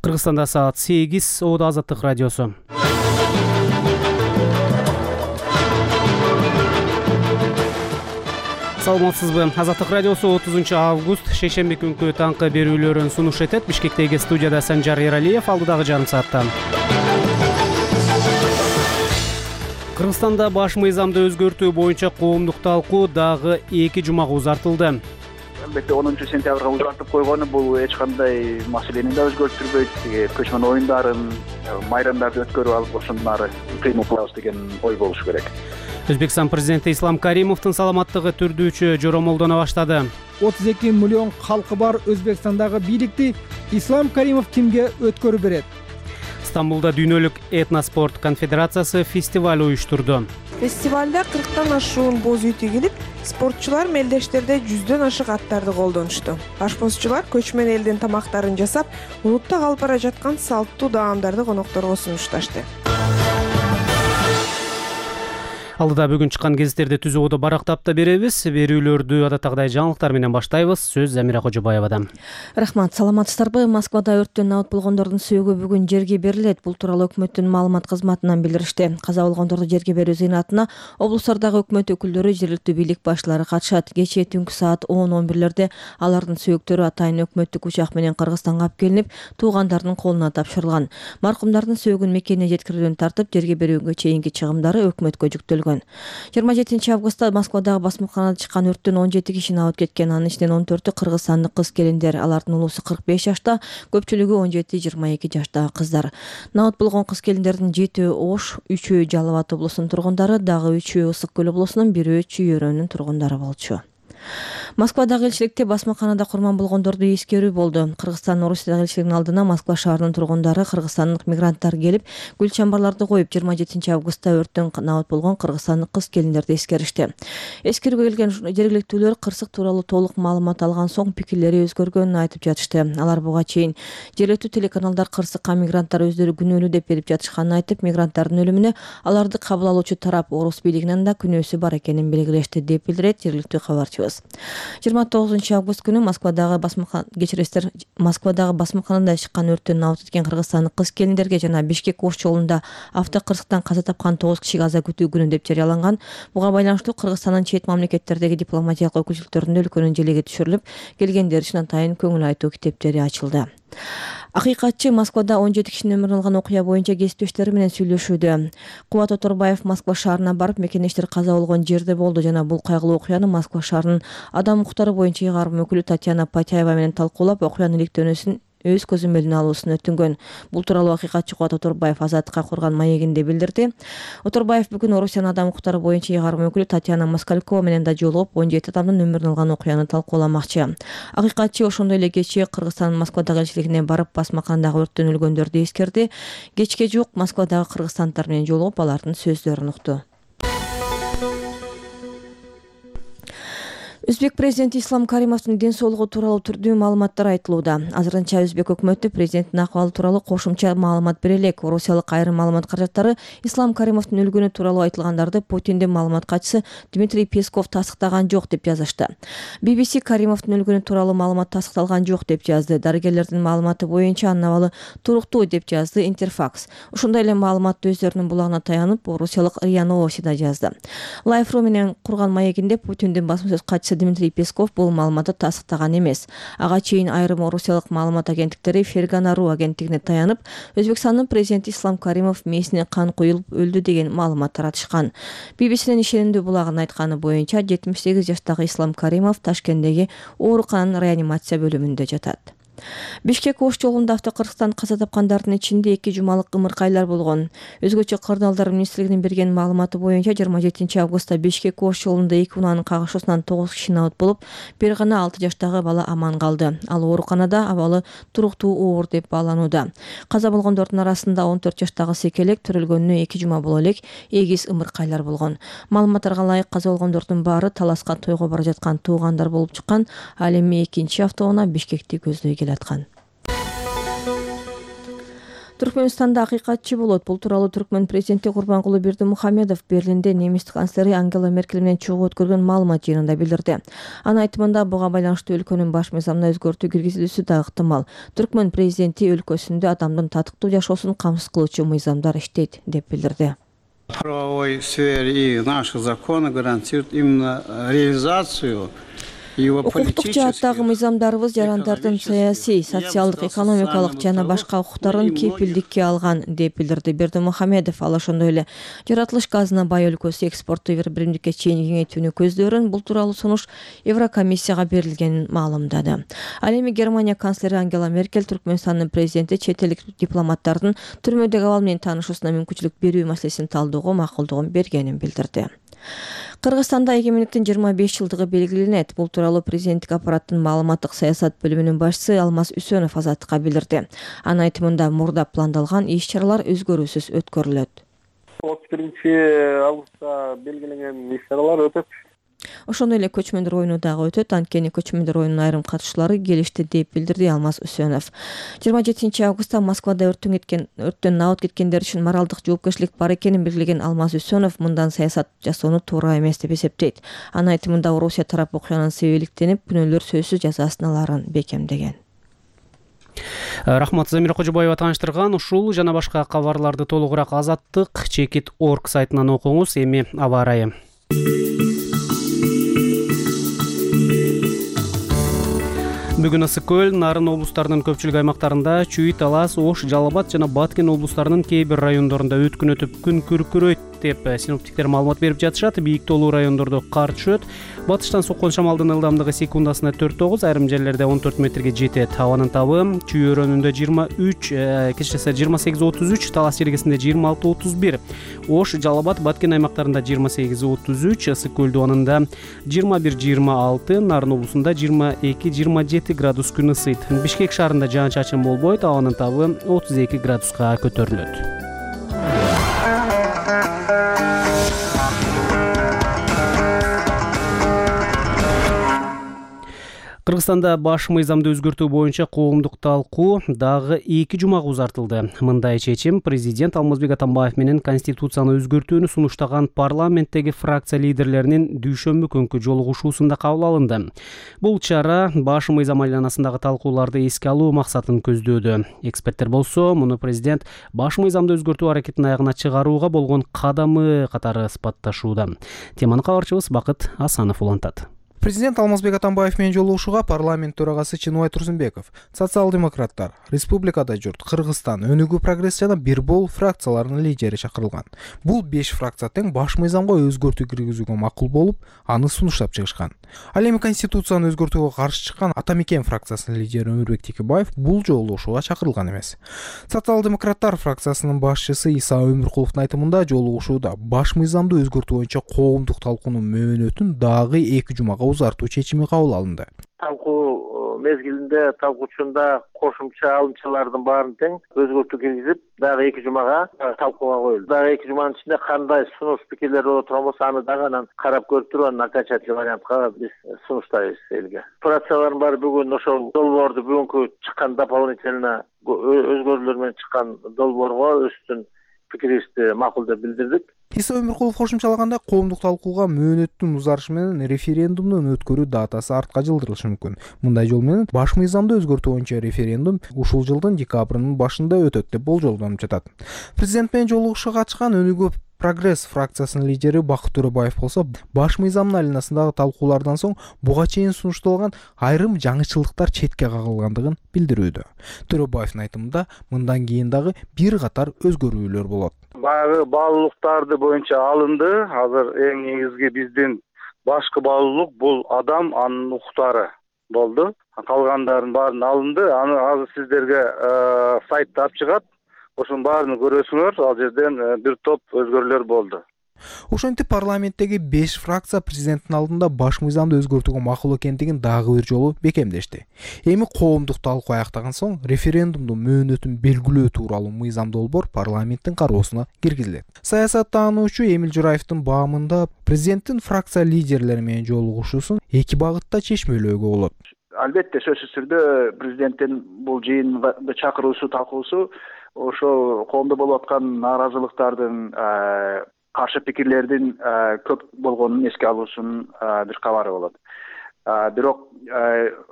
Кыргызстанда саат 8, Оодо Азаттык радиосу. Саламатсызбы? Азаттык радиосу 30 август шейшемби күнкү таңкы берүүлөрүн сунуш этет. Бишкектеги студияда Санжар Эралиев, алдыдагы жарым саатта. Кыргызстанда баш мыйзамды өзгөртүү боюнча коомдук талкуу дагы 2 жумага узартылды. Албетте 10-сентябрга узартып койгону бул эч кандай маселени да өзгөртүрбөйт. Көчмөн оюндарын, майрамдарды өткөрүп алып ошондон ары кыймыл кылабыз деген ой болушу керек. Өзбекстан президенти Ислам Каримовдун саламаттыгы түрдүүчү жоромолдоно баштады. 32 миллион калкы бар Өзбекстандагы бийликти Ислам Каримов кимге өткөрүп берет? Стамбулда дүйнөлүк этноспорт конфедерациясы фестиваль уюштурду. Фестивалда 40тан ашуун боз үй тигилип, спортчулар мелдештерде 100дөн ашык аттарды колдонушту. Ашпозчулар көчмөн элдин тамактарын жасап, унутта калып бара жаткан салттуу даамдарды конокторго сунушташты. Алдыда бүгүн чыккан гезиттерди түз угуду барактап да беребиз. Берүүлөрдү адаттагыдай жаңылыктар менен баштайбыз. Сөз Замира Кожобаевадан. Рахмат, саламатсыздарбы? Москвада өрттөн абат болгондордун сөөгү бүгүн жерге берилет. Бул тууралуу өкмөттүн маалымат кызматынан билдиришти. Каза болгондорду жерге берүү зыйнатына облустардагы өкмөт өкүлдөрү, жергиликтүү бийлик башчылары катышат. Кечээ түнкү саат 10-11лерде алардын сөөктөрү атайын өкмөттүк учак менен Кыргызстанга алып келинип, туугандардын колуна тапшырылган. Маркумдардын сөөгүн мекенине жеткирүүдөн тартып, жерге берүүгө чейинки чыгымдары өкмөткө жүктөлгөн. 27 августта Москвадагы басмаканада чыккан өрттөн 17 кишини абыт кеткен. Анын ичинен 14-ü кыргызстандык кыз-келиндер. Алардын улуусу 45 жашта, көпчүлүгү 17-22 жаштагы кыздар. Абыт болгон кыз-келиндердин 7-ü Ош, 3-ü Жалал Абад облусунун тургундары, дагы 3-ü Ысык көл облусунун, 1-ü Чүй-Өрөөнүн тургундары болчу. Москвадагы элчиликте басмаканада курман болгондорду эскерүү болду. Кыргызстан Орусиядагы элчилигинин алдына Москва шаарынын тургундары, кыргызстандык мигранттар келип, гүл чамбарларды коюп, 27 августта өрттөн абыт болгон кыргызстандык кыз-келиндерди эскеришти. Эскерүүгө келген жергиликтүүлөр кырсык тууралуу толук маалымат алган соң пикирлери өзгөргөнүн айтып жатышты. Алар буга чейин жергиликтүү телеканалдар кырсыкка мигранттар өздөрү күнөөлүү деп берип жатышканын айтып, мигранттардын өлүмүнө аларды кабыл алуучу тарап орус бийлигинин да күнөөсү бар экенин белгилешти, деп билдирет жергиликтүү кабарчыбыз. 29 август күнү Москвадагы басмаканада чыккан өрттөн абыт эткен кыргызстандык кыз-келиндерге жана Бишкек Ош жолунда автокырсыктан каза тапкан 9 кишиге аза күтүү күнү деп жарыяланган. Буга байланыштуу Кыргызстандын чет мамлекеттердеги дипломатиялык өкүлчүлүктөрүндө өлкөнүн желеге түшүрүлүп, келгендер үчүн атайын көңүл айтуу китептери ачылды. Акыйкатчы Москвада 17 кишинин өмүрүн алган окуя боюнча кесиптештери менен сүйлөшүүдө. Кубат Оторбаев Москва шаарына барып, мекендештер каза болгон жерде болду жана бул кайгылуу окуяны Москва шаарынын адам укуктары боюнча ыйгарым өкүлү Татьяна Патяева менен талкуулап, окуянын иликтөөнүсүн өз көзөмөлүнө алуусун өтүнгөн. Бул тууралуу акыйкатчы Кубат Оторбаев Азаттыкка курган маегинде билдирди. Оторбаев бүгүн Орусиянын адам укуктары боюнча ыйгарым өкүлү Татьяна Москалькова менен да жолугуп, 17 адамдын өмүрүн алган окуяны талкууламакчы. Акыйкатчы ошондой эле кечээ Кыргызстандын Москвадагы элчилигине барып, басмаканадагы өрттөн өлгөндөрдү эскерди. Кечке жуук Москвадагы кыргызстандыктар менен жолугуп, алардын сөздөрүн укту. Өзбек президенти Ислам Каримовдун ден соолугу тууралуу түрдүү маалыматтар айтылууда. Азырынча Өзбек өкмөтү президенттин акыбалы тууралуу кошумча маалымат бере элек. Орусиялык айрым маалымат каражаттары Ислам Каримовдун өлгөнү тууралуу айтылгандарды Путиндин маалымат катчысы Дмитрий Песков тастыктаган жок деп жазышты. BBC Каримовдун өлгөнү тууралуу маалымат тастыкталган жок деп жазды. Дарыгерлердин маалыматы боюнча анын абалы туруктуу деп жазды Интерфакс. Ошондой эле маалыматты өздөрүнүн булагына таянып, орусиялык РИА Новости да жазды. Life.ru менен курган маегинде Путиндин басма сөз катчысы Дмитрий Песков бул маалыматты тастыктаган эмес. Ага чейин айрым орусиялык маалымат агенттиктери Фергана.ру агенттигине таянып, Өзбекстандын президенти Ислам Каримов мээсине кан куюлуп өлдү деген маалымат таратышкан. BBC'нин ишенимдүү булагынын айтканы боюнча 78 жаштагы Ислам Каримов Ташкенттеги оорукананын реанимация бөлүмүндө жатат. Бишкек Ош жолунда автокырсыктан каза тапкандардын ичинде 2 жумалык ымыркайлар болгон. Өзгөчө Кырдаалдар министрлигинин берген маалыматы боюнча 27 августта Бишкек Ош жолунда 2 унаанын кагышуусунан 9 киши абыт болуп, бир гана 6 жаштагы бала аман калды. Ал ооруканада, абалы туруктуу оор деп бааланууда. Каза болгондордун арасында 14 жаштагы секелек, төрөлгөнүнө 2 жума боло элек эгиз ымыркайлар болгон. Маалыматтарга ылайык каза болгондордун баары Таласка тойго бара жаткан туугандар болуп чыккан. Ал эми экинчи автоунаа Бишкекти көздөй келаткан. Түркмөнстанда акыйкатчы болот. Бул тууралуу Түркмөн президенти Курбанкулу Бердимухамедов Берлинде немис канцлери Ангела Меркель менен чогуу өткөргөн маалымат жыйынында билдирди. Анын айтымында буга байланыштуу өлкөнүн баш мыйзамына өзгөртүү киргизилүүсү да ыктымал. Түркмөн президенти өлкөсүндө адамдын татыктуу жашоосун камсыз кылуучу мыйзамдар иштейт деп билдирди. В правовой сфере и наши законы гарантируют именно реализацию Укуктук жааттагы мыйзамдарыбыз жарандардын саясий, социалдык, экономикалык жана башка укуктарын кепилдикке алган деп билдирди Бердимухамедов. Ал ошондой эле жаратылыш газына бай өлкөсү экспортту бир биримдикке чейин кеңейтүүнү көздөрүн бул тууралуу сунуш Еврокомиссияга берилгенин маалымдады. Ал эми Германия канцлери Ангела Меркель Түркмөнстандын президенти чет элдик дипломаттардын түрмөдөгү абал менен таанышуусуна мүмкүнчүлүк берүү маселесин талдоого макулдугун бергенин билдирди. Кыргызстанда эгемендиктин 25 жылдыгы белгиленет. Бул тууралуу президенттик аппараттын маалыматтык саясат бөлүмүнүн башчысы Алмаз Үсөнов Азаттыкка билдирди. Анын айтымында мурда пландалган иш-чаралар өзгөрүүсүз өткөрүлөт. 31 августта белгиленген иш-чаралар өтөт. Ошондой эле көчмөндөр оюну дагы өтөт. Анткени көчмөндөр оюнунун айрым катышчылары келишти деп билдирди Алмаз Үсөнов. 27 августта Москвада өрттөн набыт кеткендер үчүн моралдык жоопкерчилик бар экенин белгилеген Алмаз Үсөнов мындан саясат жасоону туура эмес деп эсептейт. Анын айтымында Орусия тарап окуянын себептенип күнөөлөр сөзсүз жазасын аларын бекемдеген. Рахмат, Замира Кожобаева тааныштырган. Ушул жана башка кабарларды толугураак Азаттык.org сайтынан окуңуз. Эми аба ырайы. Бүгүн ысык көл, Нарын облустарынын көпчүлүк аймактарында, Чүй, Талас, Ош, Жалал Абад жана Баткен облустарынын кээ бир райондорунда өткүн өтүп күн күркүрөйт деп синоптиктер маалымат берип жатышат. Бийик тоолуу райондордо кар түшөт. Батыштан соккон шамалдын ылдамдыгы секундасына 4-9, айрым жерлерде 14 метрге жетет. Абанын табы Чүй өрөөнүндө 23, кечээсе 28-33, Талас жергесинде 26-31, Ош, Жалал Абад, Баткен аймактарында 28-33, ысык көл дубанында 21-26, Нарын облусунда 22-27 градус күн ысыйт. Бишкек шаарында жаан-чачын болбойт, абанын табы 32 градуска көтөрүлөт. Кыргызстанда баш мыйзамды өзгөртүү боюнча коомдук талкуу дагы 2 жумага узартылды. Мындай чечим президент Алмазбек Атамбаев менен конституцияны өзгөртүүнү сунуштаган парламенттеги фракция лидерлеринин дүйшөмбү күнкү жолугушуусунда кабыл алынды. Бул чара баш мыйзам айланасындагы талкууларды эске алуу максатын көздөөдө. Эксперттер болсо, муну президент баш мыйзамды өзгөртүү аракетин аягына чыгарууга болгон кадамы катары сыпатташууда. Теманы кабарчыбыз Бакыт Асанов улантат. Президент Алмазбек Атамбаев менен жолугушууга парламент төрагасы Чыныбай Турсунбеков, социал-демократтар, Республикада журт, Кыргызстан, Өнүгүү прогресс жана Бирбол фракцияларынын лидери чакырылган. Бул 5 фракция тең баш мыйзамга өзгөртүү киргизүүгө макул болуп, аны сунуштап чыгышкан. Ал эми конституцияны өзгөртүүгө каршы чыккан Атамекен фракциясынын лидери Өмүрбек Текебаев бул жолугушууга чакырылган эмес. Социал-демократтар фракциясынын башчысы Иса Өмүркуловдун айтымында жолугушууда баш мыйзамды өзгөртүү боюнча коомдук талкуунун мөөнөтүн дагы 2 жумага узартуу чечими кабыл алынды. Талкуу мезгилинде талкуучунда кошумча алымчалардын баарын тең өзгөртүү киргизип, дагы 2 жумага талкууга коюлду. Дагы 2 жуманын ичинде кандай сунуш пикирлер боло турган болсо, аны дагы анан карап көрүп туруп, анан окончательный вариантка биз сунуштайбыз элге. Фракциялардын баары бүгүн ошол долбоорду бүгүнкү чыккан дополнительно өзгөрүүлөр менен чыккан долбоорго өздүн пикирибизди макул деп билдирдик. Иса Өмүркулов кошумчалаганда, коомдук талкууга мөөнөттүн узарышы менен референдумдун өткөрүү датасы артка жылдырылышы мүмкүн. Мындай жол менен баш мыйзамды өзгөртүү боюнча референдум ушул жылдын декабрынын башында өтөт деп болжолдонуп жатат. Президент менен жолугушууга катышкан Өнүгүү прогресс фракциясынын лидери Бакыт Төрөбаев болсо, баш мыйзамдын айланасындагы талкуулардан соң буга чейин сунушталган айрым жаңычылдыктар четке кагылгандыгын билдирүүдө. Төрөбаевдин айтымында, мындан кийин дагы бир катар өзгөрүүлөр болот. Баягы баалуулуктарды боюнча алынды. Азыр эң негизги биздин башкы баалуулук бул адам, анын укуктары болду. Калгандардын баарын алынды. Аны азыр сиздерге сайтта алып чыгат. Ошонун баарын көрөсүңөр. Ал жерден бир топ өзгөрүүлөр болду. Ошентип парламенттеги 5 фракция президенттин алдында баш мыйзамды өзгөртүүгө макул экендигин дагы бир жолу бекемдешти. Эми коомдук талкуу аяктаган соң референдумдун мөөнөтүн белгилөө тууралуу мыйзам долбоор парламенттин кароосуна киргизилет. Саясаттануучу Эмил Жураевдин баамында президенттин фракция лидерлери менен жолугушуусун 2 багытта чечмелөөгө болот. Албетте сөзсүз түрдө президенттин бул жыйынга чакыруусу, талкуусу ошол коомдо болуп аткан нааразылыктардын, каршы пикирлердин көп болгонун эске алуусунун бир кабары болот. Бирок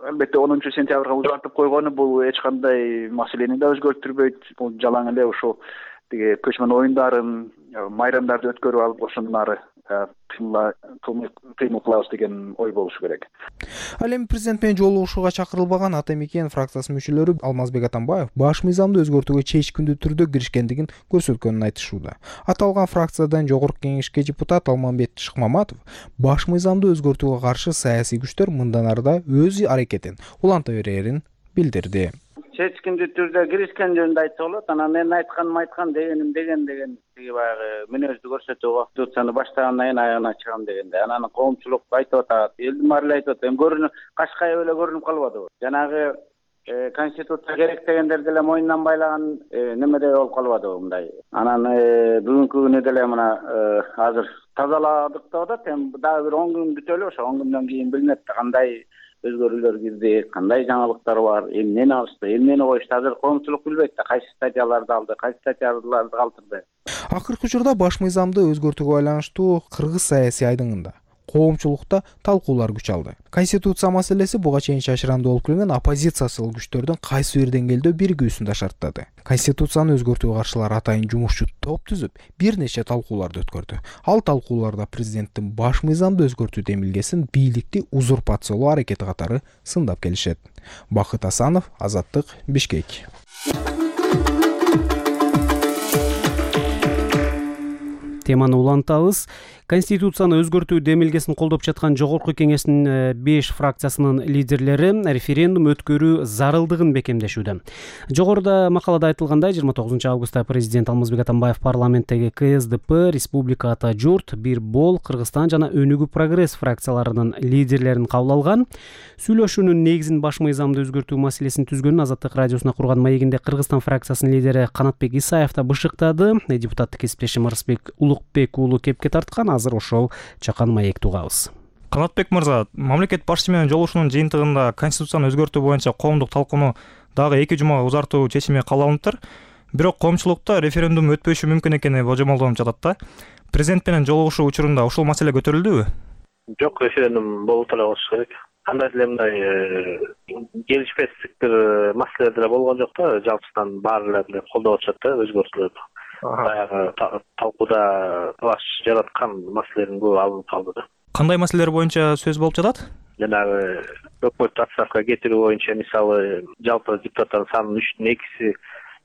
албетте 10 сентябрга узартып койгону бул эч кандай маселени да өзгөртүрбөйт. Бул жалаң эле ошол тиги көчмөн оюндарын, майрамдарды өткөрүп алып ошондон ары кыймыл кылабыз деген ой болушу керек. Ал эми президент менен жолугушууга чакырылбаган Ата Мекен фракциясынын мүчөлөрү Алмазбек Атамбаев баш мыйзамды өзгөртүүгө чечкиндүү түрдө киришкендигин көрсөткөнүн айтышууда. Аталган фракциядан Жогорку Кеңешке депутат Алмамбет Шыкмаматов баш мыйзамды өзгөртүүгө каршы саясий күчтөр мындан ары да өз аракетин уланта берерин билдирди. Чечкиндүү түрдө киришкен жөнүндө айтса болот. Анан мен айткан дегеним деген тиги баягы мүнөздү көрсөтүүгө конституцияны баштагандан кийин аягына чыгам дегенде. Анан коомчулук айтып атат, элдин баары эле айтып атат. Эми көрүнүп, Кашкай эле көрүнүп калбадыбы? Жанагы конституция керек дегендер деле мойнунан байлаган немеде болуп калбадыбы мындай. Анан бүгүнкү күнү деле мына азыр тазаладык деп атат. Эми дагы бир 10 күн күтөлү, ошо 10 күндөн кийин билинет кандай өзгөрүүлөр кирди, кандай жаңылыктар бар, эмнени алышты, эмнени коюшту. Азыр коомчулук билбейт да, кайсы статьяларды алды, кайсы статьяларды калтырды. Акыркы учурда баш мыйзамды өзгөртүүгө байланыштуу кыргыз саясий айдыңында коомчулукта талкуулар күч алды. Конституция маселеси буга чейин чачырандуу болуп келген оппозициялык күчтөрдүн кайсы бир деңгээлде биригүүсүн да шарттады. Конституцияны өзгөртүүгө каршылар атайын жумушчу топ түзүп, бир нече талкууларды өткөрдү. Ал талкууларда президенттин баш мыйзамды өзгөртүү демилгесин бийликти узурпациялоо аракети катары сындап келишет. Бакыт Асанов, Азаттык, Бишкек. Теманы улантабыз. Конституцияны өзгөртүү демилгесин колдоп жаткан Жогорку Кеңештин 5 фракциясынын лидерлери референдум өткөрүү зарылдыгын бекемдешүүдө. Жогоруда макалада айтылгандай, 29 августта президент Алмазбек Атамбаев парламенттеги КСДП, Республика Ата Журт, Бир Бол, Кыргызстан жана Өнүгүү Прогресс фракцияларынын лидерлерин кабыл алган. Сүйлөшүүнүн негизин баш мыйзамды өзгөртүү маселесин түзгөнүн Азаттык радиосуна курган маегинде Кыргызстан фракциясынын лидери Канатбек Исаев да бышыктады. Депутаттык кесиптешим Арысбек Улукбек уулу кепке тарткан. Азыр ошол чакан маекти угабыз. Канатбек мырза, мамлекет башчысы менен жолугушуунун жыйынтыгында конституцияны өзгөртүү боюнча коомдук талкууну дагы 2 жумага узартуу чечими кабыл алыныптыр. Бирок коомчулукта референдум өтпөшү мүмкүн экени божомолдонуп жатат да. Президент менен жолугушуу учурунда ушул маселе көтөрүлдүбү? Жок, референдум болуп эле болуш керек. Кандай деле мындай келишпестик бир маселе деле болгон жок да. Жалпысынан баары эле колдоп атышат да өзгөртүүлөрдү. Баягы талкууда талаш жараткан маселелердин көбү алынып калды да. Кандай маселелер боюнча сөз болуп жатат? Жанагы өкмөттү отставкага кетирүү боюнча, мисалы, жалпы депутаттардын санынын 3/2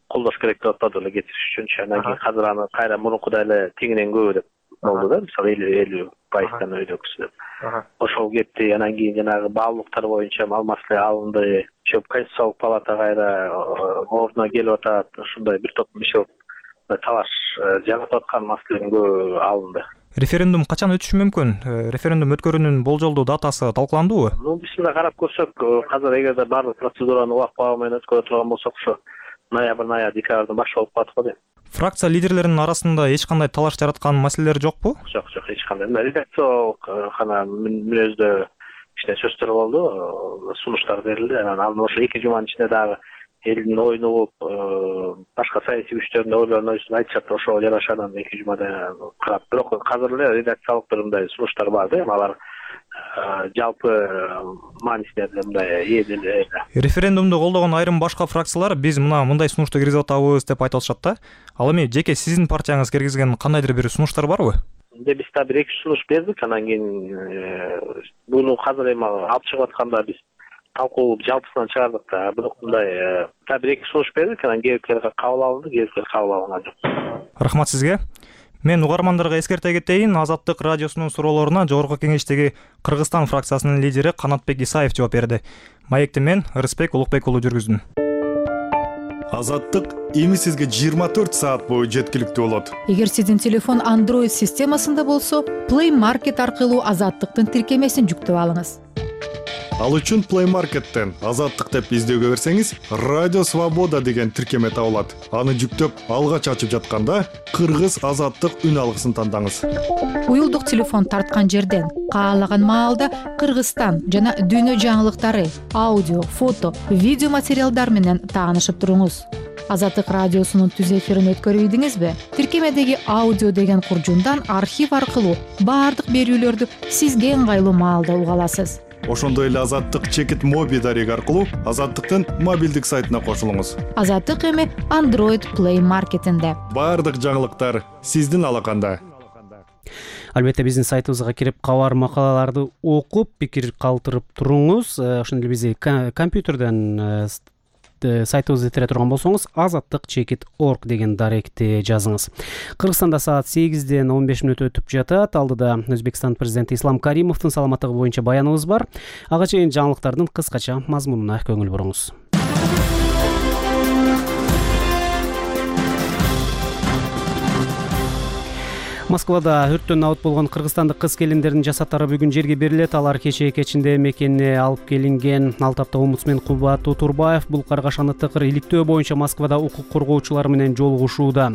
колдош керек деп атпады эле кетириш үчүнчү. Анан кийин азыр аны кайра мурункудай эле теңинен көбү деп болду да. Мисалы 50% өйдөкүсү деп. Ошол кетти. Анан кийин жанагы баалуулуктар боюнча ал маселе алынды. Конституциялык палата кайра ордуна келип атат. Ушундай бир топ иши талаш жаратып аткан маселенин көбү алынды. Референдум качан өтүшү мүмкүн? Референдум өткөрүүнүн болжолдуу датасы талкууландыбы? Биз мында карап көрсөк, азыр эгерде баардык процедураны убак баба менен өткөрө турган болсок, ошо ноябрь, декабрдын башы болуп калат го дейм. Фракция лидерлеринин арасында эч кандай талаш жараткан маселелер жокпу? Жок, эч кандай. Редакциялык гана мүнөздө кичине сөздөр болду, сунуштар берилди. Анан ошо 2 жуманын ичинде дагы элдин оюну болуп, башка саясий күчтөрдүн ойлорун айтышат, ошого жараша анан 2 жумада карап. Бирок азыр эле редакциялык бир мындай сунуштар бар да, алар жалпы маанисинде мындай эле. Референдумду колдогон айрым башка фракциялар биз мындай сунушту киргизип атабыз деп айтып атышат да. Ал эми жеке сиздин партияңыз киргизген кандайдыр бир сунуштар барбы? Биз да бир 2 сунуш бердик, анан кийин буну азыр эми алып чыгып атканда биз талкуу жалпысынан чыгардык да. Бирок мындай бир 2 сунуш бердик, анан кээбирлер кабыл алынды, кээбирлер кабыл алынган жок. Рахмат сизге. Мен угармандарга эскерте кетейин, Азаттык радиосунун суроолоруна Жогорку Кеңештеги Кыргызстан фракциясынын лидери Канатбек Исаев жооп берди. Маекти мен Арысбек Улукбек уулу жүргүздүм. Азаттык эми сизге 24 саат бою жеткиликтүү болот. Эгер сиздин телефон Android системасында болсо, Play Market аркылуу Азаттыктын тиркемесин жүктөп алыңыз. Ал үчүн Play Market'тен Азаттык деп издөөгө берсеңиз, Радио Свобода деген тиркеме табылат. Аны жүктөп, алгач ачып жатканда Кыргыз Азаттык үн алгысын тандаңыз. Уюлдук телефон тарткан жерден каалаган маалда Кыргызстан жана дүйнө жаңылыктары, аудио, фото, видео материалдар менен таанышып туруңуз. Азаттык радиосунун түз эфирин өткөрүп ийдиңизби? Тиркемедеги аудио деген куржундан архив аркылуу баардык берүүлөрдү сизге ыңгайлуу маалда уга аласыз. Ошондой эле Азаттык чекит моби дареги аркылуу Азаттыктын мобилдик сайтына кошулуңуз. Азаттык эми Android Play Marketинде. Баардык жаңылыктар сиздин алаканда. Албетте биздин сайтыбызга кирип кабар макалаларды окуп пикир калтырып туруңуз. Ошондой эле бизди компьютерден сайтыбызды тере турган болсоңуз azattik.org деген даректи жазыңыз. Кыргызстанда саат 8-ден 15 мүнөт өтүп жатат. Алдыда Өзбекстан президенти Ислам Каримовдун саламаттыгы боюнча баяныбыз бар. Ага чейин жаңылыктардын кыскача мазмунуна көңүл буруңуз. Москвада өрттөн набыт болгон кыргызстандык кыз-келиндердин жасаттары бүгүн жерге берилет. Алар кечээ кечинде мекенине алып келинген. Ал тапта омбудсмен Кубат Утурбаев бул каргашаны тыкыр иликтөө боюнча Москвада укук коргоочулар менен жолугушууда.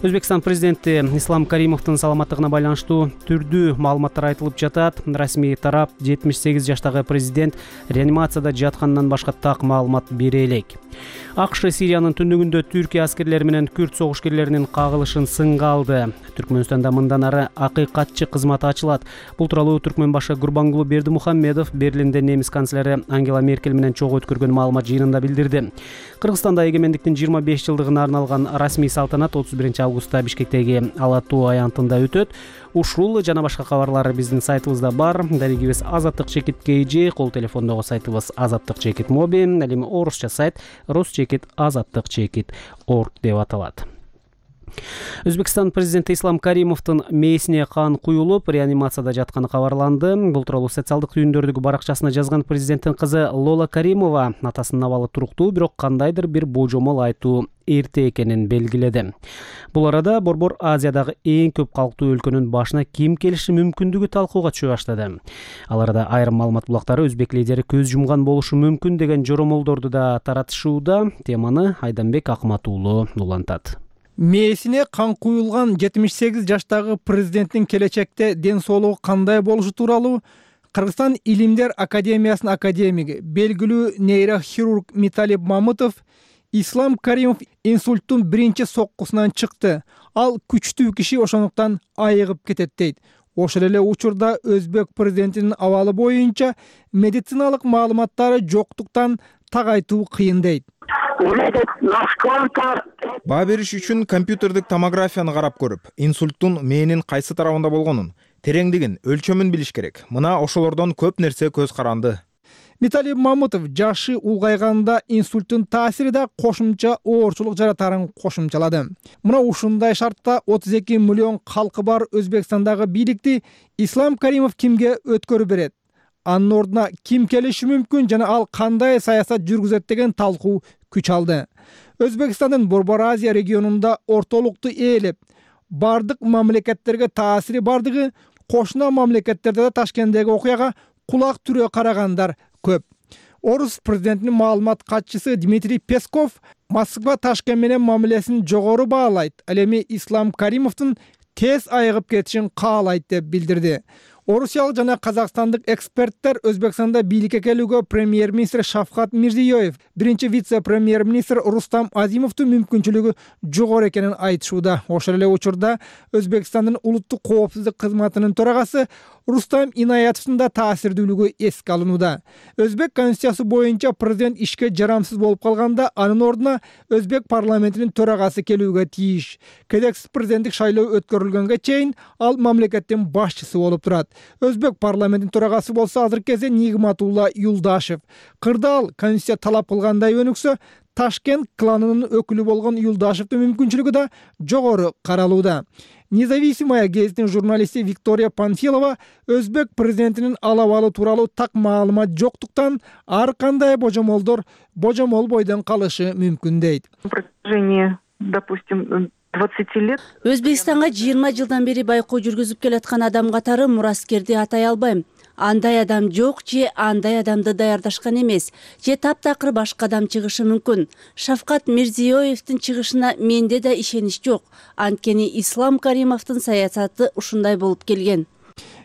Өзбекстан президенти Ислам Каримовдун саламаттыгына байланыштуу түрдүү маалыматтар айтылып жатат. Расмий тарап 78 жаштагы президент реанимацияда жатканынан башка так маалымат бере элек. АКШ Сириянын түндүгүндө Түркия аскерлери менен күрд согушкерлеринин кагылышын сынга алды. Түркмөнстанда мындан ары акыйкатчы кызматы ачылат. Бул тууралуу Түркмөн башы Гурбангулу Бердимухаммедов Берлинде немис канцлери Ангела Меркель менен чогуу өткөргөн маалымат жыйынында билдирди. Кыргызстанда эгемендиктин 25 жылдыгына арналган расмий салтанат 31 августта Бишкектеги Ала Тоо аянтында өтөт. Ушул жана башка кабарлар биздин сайтыбызда бар. Дарегибиз Азаттык чекит KG, кол телефондогу сайтыбыз Азаттык чекит моби, ал эми орусча сайт ruschekit.azattik.org деп аталат. Өзбекстан президенти Ислам Каримовдун мээсине кан куюлуп, реанимацияда жатканы кабарланды. Бул тууралуу социалдык түйүндөрдөгү баракчасына жазган президенттин кызы Лола Каримова атасынын абалы туруктуу, бирок кандайдыр бир божомол айтуу эрте экенин белгиледи. Бул арада Борбор Азиядагы эң көп калктуу өлкөнүн башына ким келиши мүмкүндүгү талкууга түшө баштады. Ал арада айрым маалымат булактары өзбек лидери көз жумган болушу мүмкүн деген жоромолдорду да таратышууда. Теманы Айданбек Акмат уулу улантат. Мээсине кан куюлган 78 жаштагы президенттин келечекте ден соолугу кандай болушу тууралуу Кыргызстан Илимдер Академиясынын академиги, белгилүү нейрохирург Миталип Мамытов Ислам Каримов инсульттун биринчи соккусунан чыкты. Ал күчтүү киши, ошондуктан айыгып кетет дейт. Ошол эле учурда өзбек президентинин абалы боюнча медициналык маалыматтары жоктуктан так айтуу кыйын дейт. Баа бериш үчүн компьютердик томографияны карап көрүп, инсульттун мээнин кайсы тарабында болгонун, тереңдигин, өлчөмүн билиш керек. Мына ошолордон көп нерсе көз каранды. Миталип Мамытов жашы улгайганда инсульттун таасири да кошумча оорчулук жаратарын кошумчалады. Мына ушундай шартта 32 миллион калкы бар Өзбекстандагы бийликти Ислам Каримов кимге өткөрүп берет? Анын ордуна ким келиши мүмкүн жана ал кандай саясат жүргүзөт деген талкуу күч алды. Өзбекстандын Борбор Азия регионунда ортолукту ээлеп, бардык мамлекеттерге таасири бардыгы кошуна мамлекеттерде да Ташкенттеги окуяга кулак түрө карагандар көп. Орус президентинин маалымат катчысы Дмитрий Песков Москва Ташкент менен мамилесин жогору баалайт. Ал эми Ислам Каримовдун тез айыгып кетишин каалайт деп билдирди. Орусиялык жана казакстандык эксперттер Өзбекстанда бийликке келүүгө премьер-министр Шавкат Мирзиёев, биринчи вице-премьер-министр Рустам Азимовдун мүмкүнчүлүгү жогору экенин айтышууда. Ошол эле учурда Өзбекстандын улуттук коопсуздук кызматынын төрагасы Рустам Инаятовдун да таасирдүүлүгү эске алынууда. Өзбек конституциясы боюнча президент ишке жарамсыз болуп калганда анын ордуна Өзбек парламентинин төрагасы келүүгө тийиш. Кезексиз президенттик шайлоо өткөрүлгөнгө чейин ал мамлекеттин башчысы болуп турат. Өзбек парламентинин төрагасы болсо азыркы кезде Нигматулла Юлдашев. Кырдаал конституция талап кылгандай өнүксө, Ташкент кланынын өкүлү болгон Юлдашевдин мүмкүнчүлүгү да жогору каралууда. Независимая гезитинин журналисти Виктория Панфилова өзбек президентинин алабалы тууралуу так маалымат жоктуктан ар кандай божомол бойдон калышы мүмкүн дейт. Өзбекстанга 20 жылдан бери байкоо жүргүзүп келаткан адам катары мураскерди атай албайм. Андай адам жок же андай адамды даярдашкан эмес, же таптакыр башка адам чыгышы мүмкүн. Шавкат Мирзиёевдин чыгышына менде да ишенич жок. Анткени Ислам Каримовдун саясаты ушундай болуп келген.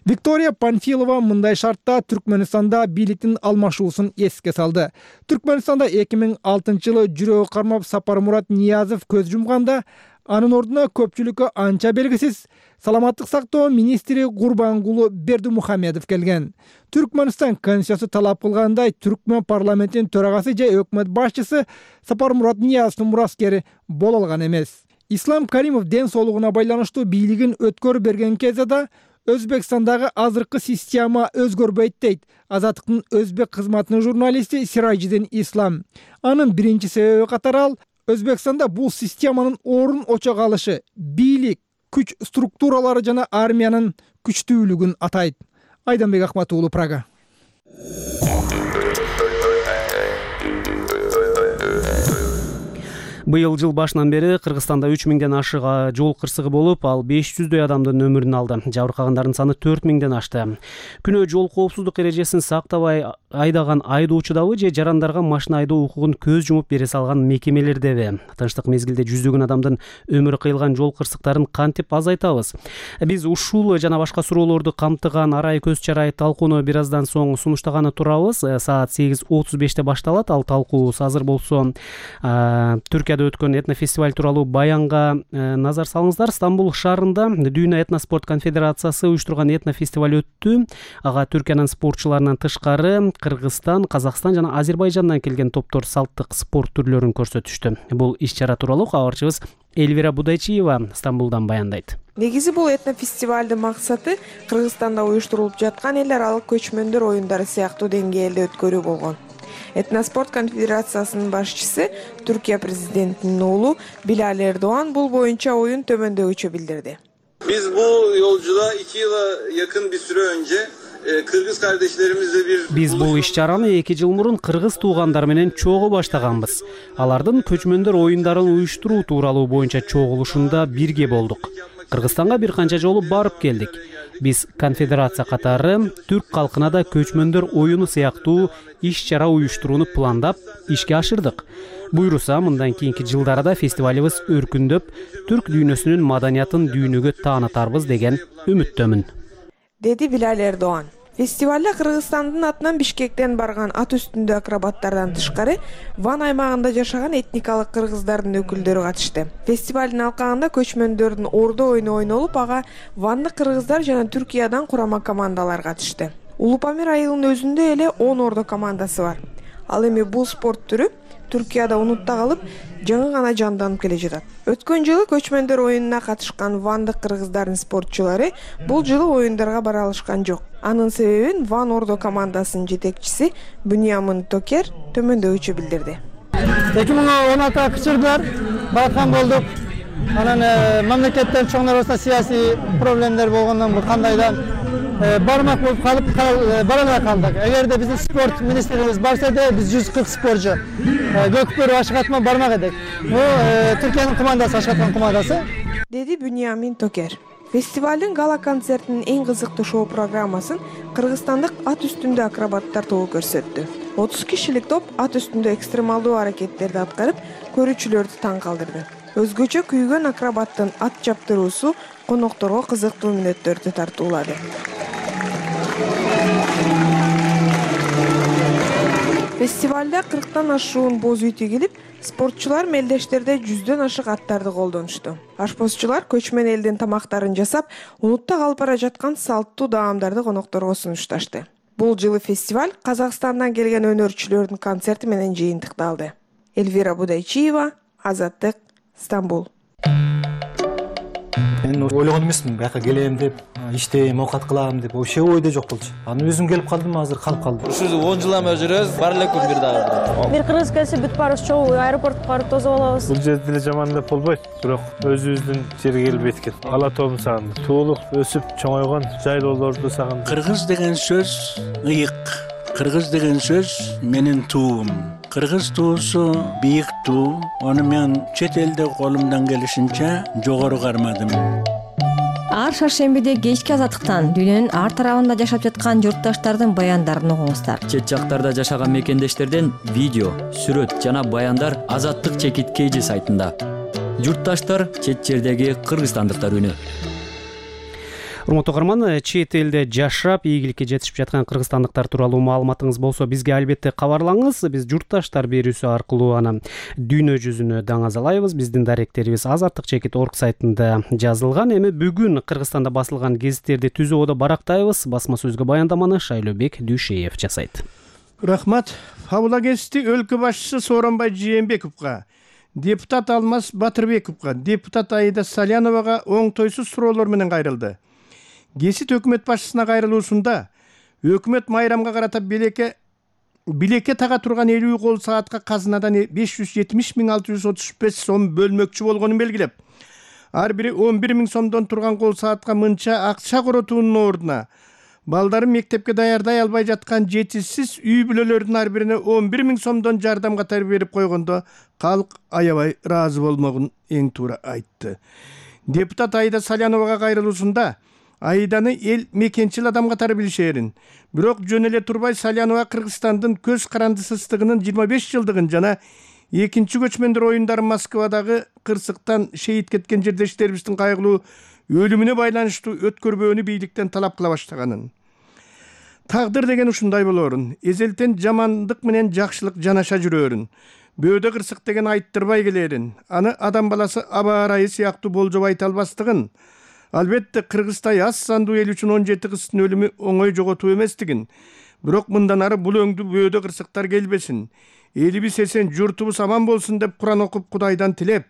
Виктория Панфилова мындай шартта Түркмөнстанда бийликтин алмашуусун эске салды. Түркмөнстанда 2006-жылы жүрөгү кармап Сапармурат Ниязов көз жумганда, анын ордуна көпчүлүккө анча белгисиз саламаттык сактоо министри Гурбангулу Бердимухамедов келген. Түркмөнстан конституциясы талап кылгандай Түркмөн парламентинин төрагасы же өкмөт башчысы Сапармурат Ниязовдун мураскери боло алган эмес. Ислам Каримов ден соолугуна байланыштуу бийлигин өткөрүп берген кезде да Өзбекстандагы азыркы система өзгөрбөйт дейт Азаттыктын өзбек кызматынын журналисти Сиражидин Ислам. Анын биринчи себеби катары ал Өзбекстанда бул системанын орун очо калышы, бийлик, күч структуралары жана армиянын күчтүүлүгүн атайт. Айданбек Акмат уулу, Прага. Быйыл жыл башынан бери Кыргызстанда 3000ден ашык жол кырсыгы болуп, ал 500дөй адамдын өмүрүн алды. Жабыркагандардын саны 4000ден ашты. Күнөө жол коопсуздук эрежесин сактабай айдаган айдоочудабы же жарандарга машина айдоо укугун көз жумуп бере салган мекемелердеби? Тынчтык мезгилде жүздөгөн адамдын өмүрү кыйылган жол кырсыктарын кантип азайтабыз? Биз ушул жана башка суроолорду камтыган арай көз чарай талкууну бир аздан соң сунуштаганы турабыз. Саат 8:35 башталат. Ал талкуу азыр болсо Түркияда өткөн этнофестиваль тууралуу баянга назар салыңыздар. Стамбул шаарында Дүйнө этноспорт конфедерациясы уюштурган этнофестиваль өттү. Ага Түркиянын спортчуларынан тышкары Кыргызстан, Казакстан жана Азербайжандан келген топтор салттык спорт түрлөрүн көрсөтүштү. Бул иш-чара тууралуу кабарчыбыз Эльвира Будайчиева Стамбулдан баяндайт. Негизи бул этнофестивалдын максаты Кыргызстанда уюштурулуп жаткан эл аралык көчмөндөр оюндары сыяктуу деңгээлде өткөрүү болгон. Этноспорт конфедерациясынын башчысы Түркия президентинин уулу Билал Эрдоğan бул боюнча оюн төмөндөгүчө билдирди. Biz bu yolculuğa 2 yıla yakın bir süre önce Kırgız kardeşlerimizle Биз бул иш-чараны 2 жыл мурун кыргыз туугандар менен чогуу баштаганбыз. Алардын көчмөндөр оюндарын уюштуруу тууралуу боюнча чогулушунда бирге болдук. Кыргызстанга бир канча жолу барып келдик. Биз конфедерация катары түрк калкына да көчмөндөр оюну сыяктуу иш-чара уюштурууну пландап ишке ашырдык. Буйруса, мындан кийинки жылдарда фестивалыбыз өркүндөп, түрк дүйнөсүнүн маданиятын дүйнөгө таанытарбыз деген үмүттөмүн, деди Билал Эрдоğan. Фестивалда Кыргызстандын атынан Бишкектен барган ат үстүндө акробаттардан тышкары Ван аймагында жашаган этникалык кыргыздардын өкүлдөрү катышты. Фестивалдын алкагында көчмөндөрдүн ордо оюну ойнолуп, ага вандык кыргыздар жана Түркиядан курама командалар катышты. Улупамир айылынын өзүндө эле 10 ордо командасы бар. Ал эми бул спорт түрү Түркияда унутта калып, жаңы гана жанданып келе жатат. Өткөн жылы көчмөндөр оюнуна катышкан вандык кыргыздардын спортчулары бул жылы оюндарга бара алышкан жок. Анын себебин Ван ордо командасынын жетекчиси Буньямин Токер төмөндөгүчө билдирди. 2016 кычырдылар, бараткан болдук. Анан мамлекеттен чоңдор арасында саясий проблемдер болгондон бул кандайдан бармак болуп калып бара албай калдык. Эгерде биздин спорт министрлигибиз барса да биз 140 спортчу көкпөр ашыгатма бармак эдик. Бул Түркиянын командасы, ашыгаткан командасы, деди Буньямин Токер. Фестивалдын гала концертинин эң кызыктуу шоу программасын кыргызстандык ат үстүндө акробаттар тобу көрсөттү. 30 кишилик топ ат үстүндө экстремалдуу аракеттерди аткарып, көрүүчүлөрдү таң калтырды. Өзгөчө күйгөн акробаттын ат чаптыруусу конокторго кызыктуу мүнөттөрдү тартуулады. Фестивалда 40тан ашуун боз үй тигилип, спортчулар мелдештерде 100дөн ашык аттарды колдонушту. Ашпозчулар көчмөн элдин тамактарын жасап, унутта калып бара жаткан салттуу даамдарды конокторго сунушташты. Бул жылы фестиваль Казакстандан келген өнөрчүлөрдүн концерти менен жыйынтыкталды. Эльвира Будайчиева, Азаттык, Стамбул. Мен ойлогон эмесмин, бияка келем деп, иштейм, оокат кылам деп, вообще ойдо жок болчу. Аны өзүм келип калдым, азыр калып калдым. Ушу 10 жылдан бери жүрөбүз, бар элекпи бир дагы. Бир кыргыз келсе бүт барыбыз чогуу аэропортко барып тосуп алабыз. Бул жерде эле жаман деп болбойт, бирок өзүбүздүн жерге келип эткен. Ала тоомун сагындым. Туулуп, өсүп, чоңойгон жайлоолорду сагындым. Кыргыз деген сөз ыйык. Кыргыз деген сөз менин туум. Кыргыз туусу бийик туу. Аны мен чет элде колумдан келишинче жогору кармадым. Ар шаршембиде кечки Азаттыктан дүйнөнүн ар тарабында жашап жаткан журтташтардын баяндарын угуңуздар. Чет жактарда жашаган мекендештерден видео, сүрөт жана баяндар Азаттык чекит KG сайтында. Журтташтар чет жердеги кыргызстандыктар үнү. урматтуу угарман, чет элде жашап ийгиликке жетишип жаткан кыргызстандыктар тууралуу маалыматыңыз болсо бизге албетте кабарлаңыз. Биз журтташтар берүүсү аркылуу аны дүйнө жүзүнө даңазалайбыз. Биздин даректерибиз azattik.org сайтында жазылган. Эми бүгүн Кыргызстанда басылган гезиттерди түзүүдө барактайбыз. Басма сөзгө баяндаманы Шайлообек Дүйшеев жасайт. Рахмат. Фабула гезити өлкө башчысы Сооронбай Жээнбековго, депутат Алмаз Батырбековго, депутат Аида Саляновага оңтойсуз суроолор менен кайрылды. Гезит өкмөт башчысына кайрылуусунда өкмөт майрамга карата билекке тага турган 50 кол саатка казынадан 570.635 сом бөлмөкчү болгонун белгилеп, ар бири 11.000 сомдон турган кол саатка мынча акча коротуунун ордуна балдарын мектепке даярдай албай жаткан жетишсиз үй бүлөлөрдүн ар бирине 11.000 сомдон жардам катары берип койгондо калк аябай ыраазы болмогун эң туура айтты. Депутат Аида Саляновага кайрылуусунда Аиданы эл мекенчил адам катары билишерин, бирок жөн эле турбай Салянова Кыргызстандын көз карандысыздыгынын 25 жылдыгын жана экинчи көчмөндөр оюндары Москвадагы кырсыктан шейит кеткен жердештерибиздин кайгылуу өлүмүнө байланыштуу өткөрбөөнү бийликтен талап кыла баштаганын. Тагдыр деген ушундай болоорун, эзелтен жамандык менен жакшылык жанаша жүрөөрүн, бөөдө кырсык деген айттырбай келерин, аны адам баласы аба арайы сыяктуу болжоп айта албастыгын, албетте Кыргызтай аз сандуу эл үчүн 17 кыздын өлүмү оңой жоготуу эместигин, бирок мындан ары бул өңдүү бөөдө кырсыктар келбесин, элибиз эсен, журтубуз аман болсун деп Куран окуп Кудайдан тилеп,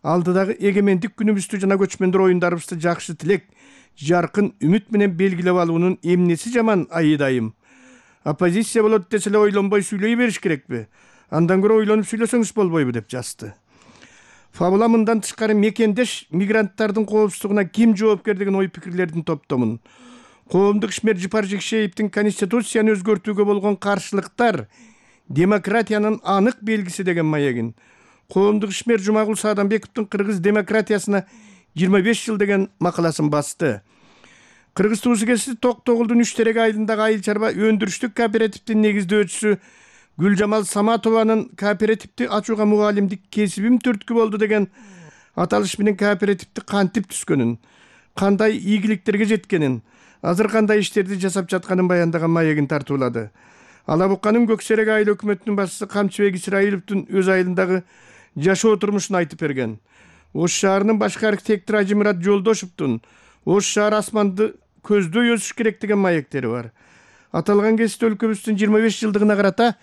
алдыдагы эгемендик күнүбүздү жана көчмөндөр оюндарыбызды жакшы тилек, жаркын үмүт менен белгилеп алуунун эмнеси жаман Айдайым? Оппозиция болот десе эле ойлонбой сүйлөй бериш керекпи? Андан көрө ойлонуп сүйлөсөңүз болбойбу деп жазды. Фабула мындан тышкары мекендеш мигранттардын коопсуздугуна ким жоопкер деген ой пикирлердин топтомун. Коомдук ишмер Жыпар Жекшеевдин Конституцияны өзгөртүүгө болгон каршылыктар демократиянын анык белгиси деген маегин, коомдук ишмер Жумагул Саадамбековдун Кыргыз демократиясына 25 жыл деген макаласын басты. Кыргыз туусу кесип Токтогулдун Үчтерек айылындагы айыл чарба өндүрүштүк кооперативдин негиздөөчүсү Гүлжамал Саматованын кооперативди ачууга мугалимдик кесибим түрткү болду деген аталыш менен кооперативди кантип түзгөнүн, кандай ийгиликтерге жеткенин, азыр кандай иштерди жасап жатканын баяндаган маегин тартуулады. Алабукканын Көксерек айыл өкмөтүнүн башчысы Камчыбек Исраиловдун өз айылындагы жашоо турмушун айтып берген. Ош шаарынын башкы архитектор Ажимурат Жолдошевдун Ош шаар асманды көздөй өсүш керек деген маектери бар. Аталган кесипте өлкөбүздүн 25 жылдыгына карата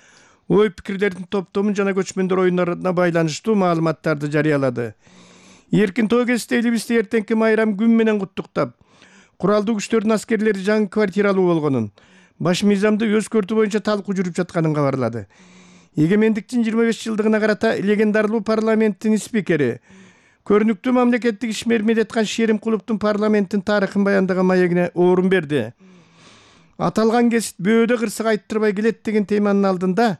ой пикирлердин топтомун жана көчмөндөр оюндарына байланыштуу маалыматтарды жарыялады. Эркин тоо кесипте элибизди эртеңки майрам күн менен куттуктап, куралдуу күчтөрдүн аскерлери жаңы квартиралуу болгонун, баш мыйзамды өзгөртүү боюнча талкуу жүрүп жатканын кабарлады. Эгемендиктин 25 жылдыгына карата легендарлуу парламенттин спикери, көрүнүктүү мамлекеттик ишмер Медеткан Шеримкуловдун парламенттин тарыхын баяндаган маегине орун берди. Аталган кесип бөөдө кырсык айттырбай келет деген теманын алдында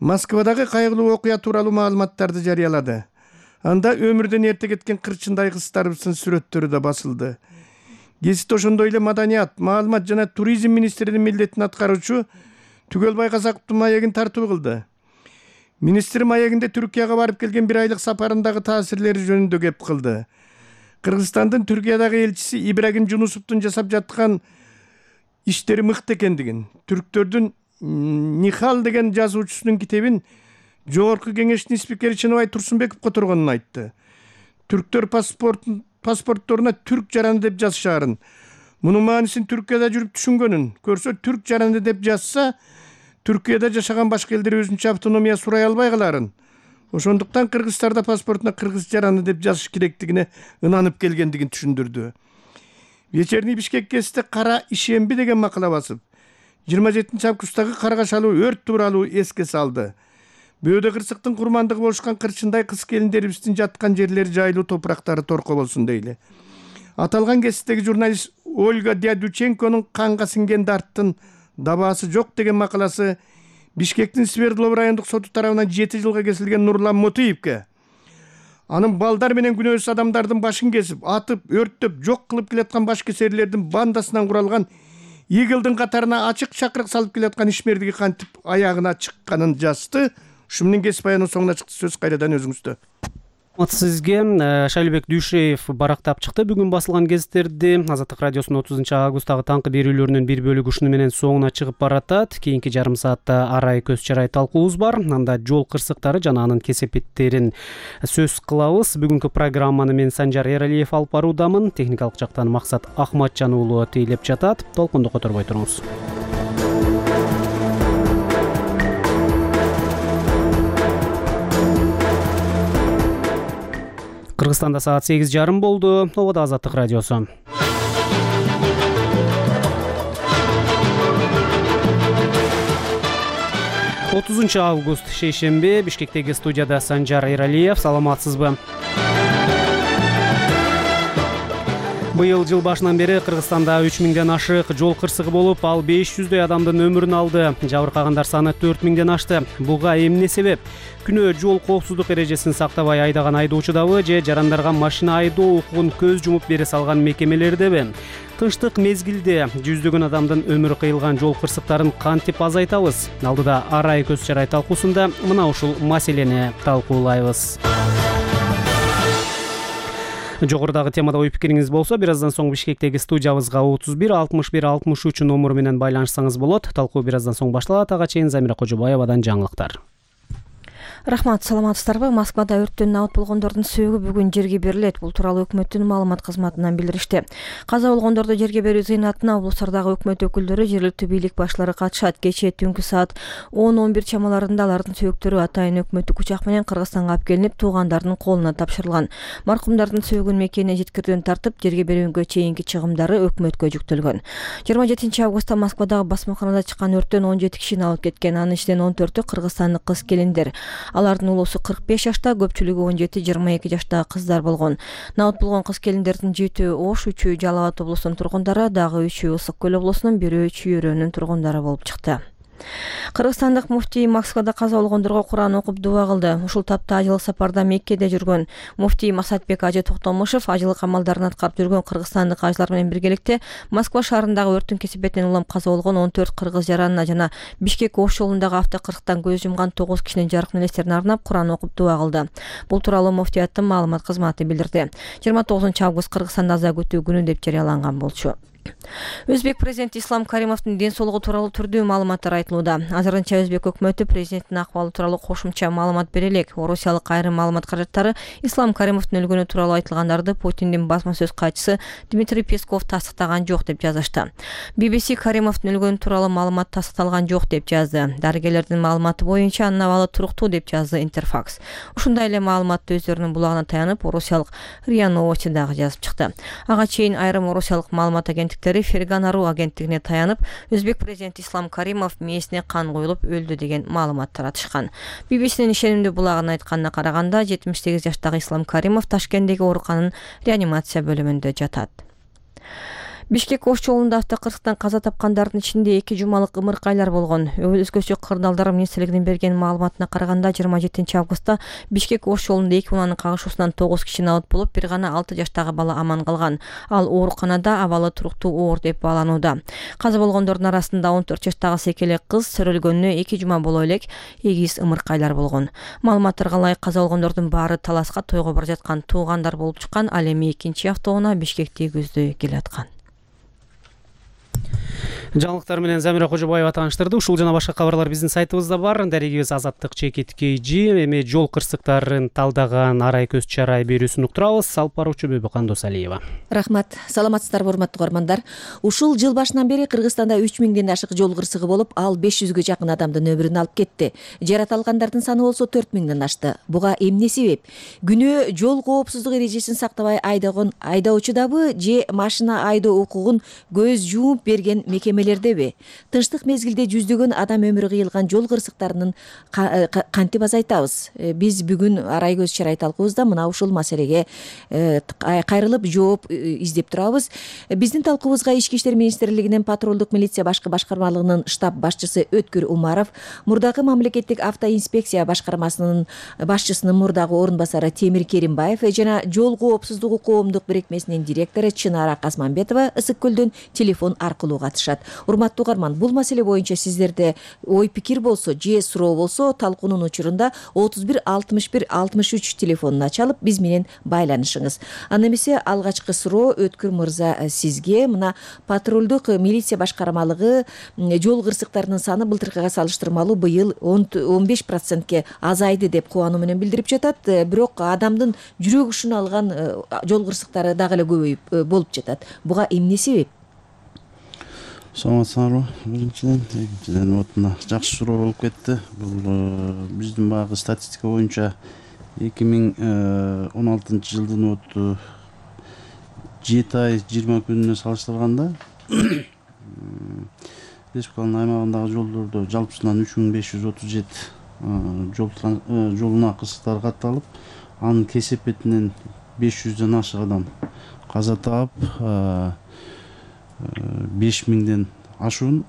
Москвадагы кайгылуу окуя тууралуу маалыматтарды жарыялады. Анда өмүрдөн эрте кеткен кырчындай кыздарыбыздын сүрөттөрү да басылды. Гезит ошондой эле маданият, маалымат жана туризм министринин милдетин аткаруучу Түгөлбай Казаковдун маегин тартуу кылды. Министр маегинде Түркияга барып келген бир айлык сапарындагы таасирлери жөнүндө кеп кылды. Кыргызстандын Түркиядагы элчиси Ибрагим Жунусовдун жасап жаткан иштери мыкты экендигин, түрктөрдүн Нихал деген жазуучусунун китебин Жогорку кеңештин спикери Чыныбай Турсунбеков которгонун айтты. Түрктөр паспортторуна түрк жараны деп жазышаарын, мунун маанисин Түркияда жүрүп түшүнгөнүн көрсө, түрк жараны деп жазса, Түркияда жашаган башка элдер өзүнчө автономия сурай албай каларын. Ошондуктан кыргыздарда паспортуна кыргыз жараны деп жазыш керектигине ынанып келгендигин түшүндүрдү. Вечерний Бишкек кесте Кара ишемби деген макала басып, 27-августтагы Каргашалуу өрт тууралуу эске салды. Бөөдө кырсыктын курмандыгы болушкан кырчындай кыз келиндерибиздин жаткан жерлери жайлуу топурактары торко болсун дейли. Аталган кесиптеги журналист Ольга Дядюченконун канга синген дарттын дабаасы жок деген макаласы Бишкектин Свердлов райондук соту тарабынан 7 жылга кесилген Нурлан Мотуевке, анын балдар менен күнөөсүз адамдардын башын кесип, атып, өрттөп, жок кылып келаткан баш кесерлердин бандасынан куралган Игылдын катарына ачык чакырык салып келаткан ишмердиги кантип аягына чыкканын жазды. Ушу менен кесип аянын соңуна чыкты. Сөз кайрадан өзүңүздө. Сизге Шайлыбек Дүйшеев барактап чыкты бүгүн басылган гезиттерди. Азаттык радиосунун 30 августтагы таңкы берүүлөрүнүн бир бөлүгү ушуну менен соңуна чыгып баратат. Кийинки жарым саатта арай көз чарай талкуубуз бар. Анда жол кырсыктары жана анын кесепеттерин сөз кылабыз. Бүгүнкү программаны мен Санжар Эралиев алып баруудамын. Техникалык жактан Максат Ахматжан уулу тейлеп жатат. Толкунду которбой туруңуз. Кыргызстанда саат 8:30 болду. Ободо Азаттык радиосу. Август шейшемби Бишкектеги студияда Санжар Эралиев. Саламатсызбы? Быйыл жыл башынан бери Кыргызстанда 3000ден ашык жол кырсыгы болуп, ал 500дөй адамдын өмүрүн алды. Жабыркагандар саны 4000ден ашты. Буга эмне себеп? Күнөө жол коопсуздук эрежесин сактабай айдаган айдоочудабы же жарандарга машина айдоо укугун көз жумуп бере салган мекемелердеби? Тынчтык мезгилде жүздөгөн адамдын өмүрү кыйылган жол кырсыктарын кантип азайтабыз? Алдыда арай көз чарай талкуусунда мына ушул маселени талкуулайбыз. Жогорудагы темада ой пикириңиз болсо, бир аздан соң Бишкектеги студиябызга 31 61 63 номуру менен байланышсаңыз болот. Талкуу бир аздан соң башталат. Ага чейин Замира Кожобаевадан жаңылыктар. Рахмат, саламатсыздарбы? Москвада өрттөн абат болгондордун сөөгү бүгүн жерге берилет. Бул тууралуу өкмөттүн маалымат кызматынан билдиришти. Каза болгондорду жерге берүү зыйнатына облустардагы өкмөт өкүлдөрү, жергиликтүү бийлик башчылары катышат. Кечээ түнкү саат 10-11 чамаларында алардын сөөктөрү атайын өкмөттүк учак менен Кыргызстанга алып келинип, туугандардын колуна тапшырылган. Маркумдардын сөөгүн мекенине жеткирүүдөн тартып, жерге берүүгө чейинки чыгымдары өкмөткө жүктөлгөн. 27 августта Москвадагы басмаканада чыккан өрттөн 17 кишини алып кеткен. Анын ичинен 14-ü кыргызстандык кыз-келиндер. Алардын улуусу 45 жашта, көпчүлүгү 17-22 жаштагы кыздар болгон. Набат болгон кыз-келиндердин 7-ü Ош, 3-ü Жалал Абад облусунун тургундары, дагы 3-ü Ысык көл облусунун, 1-ü Чүйөрөнүн тургундары болуп чыкты. Кыргызстандык муфтий Москвада каза болгондорго Куран окуп дуа кылды. Ушул тапта ажылык сапарда Меккеде жүргөн муфтий Масатбек ажы Токтомушев ажылык амалдарын аткарып жүргөн кыргызстандык ажылар менен биргеликте Москва шаарындагы өрттүн кесепетинен улам каза болгон 14 кыргыз жаранына жана Бишкек Ош жолундагы автокырсыктан көз жумган 9 кишинин жаркын элестерине арнап Куран окуп дуа кылды. Бул тууралуу муфтияттын маалымат кызматы билдирди. 29 август Кыргызстанда аза күтүү күнү деп жарыяланган болчу. Өзбек президенти Ислам Каримовдун ден соолугу тууралуу түрдүү маалыматтар айтылууда. Азырынча Өзбек өкмөтү президенттин акыбалы тууралуу кошумча маалымат бере элек. Орусиялык айрым маалымат каражаттары Ислам Каримовдун өлгөнү тууралуу айтылгандарды Путиндин басма сөз катчысы Дмитрий Песков тастыктаган жок деп жазышты. BBC Каримовдун өлгөнү тууралуу маалымат тастыкталган жок деп жазды. Дарыгерлердин маалыматы боюнча анын абалы туруктуу деп жазды Интерфакс. Ушундай эле маалыматты өздөрүнүн булагына таянып, орусиялык РИА Новости дагы жазып чыкты. Ага чейин айрым орусиялык маалымат Ферган.ру агенттигине таянып, Өзбек президенти Ислам Каримов мээсине кан коюлуп өлдү деген маалымат таратышкан. BBC'нин ишенимдүү булагына айтканына караганда, 78 жаштагы Ислам Каримов Ташкенттеги оорукананын реанимация бөлүмүндө жатат. Бишкек Ош жолунда автокырсыктан каза тапкандардын ичинде 2 жумалык ымыркайлар болгон. Өзгөчө кырдаалдар министрлигинин берген маалыматына караганда, 27 августта Бишкек Ош жолунда 2 унаанын кагышуусунан 9 киши абат болуп, бир гана 6 жаштагы бала аман калган. Ал ооруканада абалы туруктуу оор деп бааланууда. Каза болгондордун арасында 14 жаштагы секелек кыз, сөрөлгөнүнө 2 жума боло элек эгиз ымыркайлар болгон. Маалыматтарга ылайык каза болгондордун баары Таласка тойго бара жаткан туугандар болуп чыккан. Ал эми 2-автоунаа Бишкекти көздөй келаткан. Жаңылыктар менен Замира Кожобаева тааныштырды. Ушул жана башка кабарлар биздин сайтыбызда бар. Дарегибиз Азаттык ЧКТ. Эми жол кырсыктарын талдаган арай көз чарай берүүсүн уктурабыз. Алып баруучу Бөбө Кандосалиева. Рахмат. Саламатсыздарбы, урматтуу угармандар. Ушул жыл башынан бери Кыргызстанда 3000ден ашык жол кырсыгы болуп, ал 500гө жакын адамдын өмүрүн алып кетти. Жаратылгандардын саны болсо 4000ден ашты. Буга эмне себеп? Күнөө жол коопсуздук эрежесин сактабай айдаган айдоочудабы же машина айдоо укугун көз жумуп берген мекемелердеби? Тынчтык мезгилде жүздөгөн адам өмүрү кыйылган жол кырсыктарынын кантип азайтабыз? Биз бүгүн арай көз чарай талкуубузда мына ушул маселеге кайрылып жооп издеп турабыз. Биздин талкуубузга Ички иштер министрлигинин патрулдук милиция башкы башкармалыгынын штаб башчысы Өткүр Умаров, мурдагы мамлекеттик автоинспекция башкармасынын башчысынын мурдагы орун басары Темир Керимбаев жана жол коопсуздугу коомдук бирикмесинин директору Чынара Казманбетова Ысык көлдөн телефон аркылуу катышат. Урматтуу угарман, бул маселе боюнча сиздерде ой пикир болсо же суроо болсо талкуунун учурунда 31 61 63 телефонуна чалып биз менен байланышыңыз. Анда эмесе алгачкы суроо Өткүр мырза сизге. Мына патрулдук милиция башкармалыгы жол кырсыктарынын саны былтыркыга салыштырмалуу быйыл 15%ке азайды деп кубануу менен билдирип жатат. Бирок адамдын жүрөк ушуну алган жол кырсыктары дагы эле көбөйүп болуп жатат. Буга эмне себеп? Саламатсыңарбы? Биринчиден вот мына жакшы суроо болуп кетти. Бул биздин баягы статистика боюнча 2016 жылдын 7 ай 20 күнүнө салыштырганда республиканын аймагындагы жолдордо жалпысынан 3537 жолуна кырсыктар катталып, анын кесепетинен 500ден ашык адам каза таап, 5000ден ашуун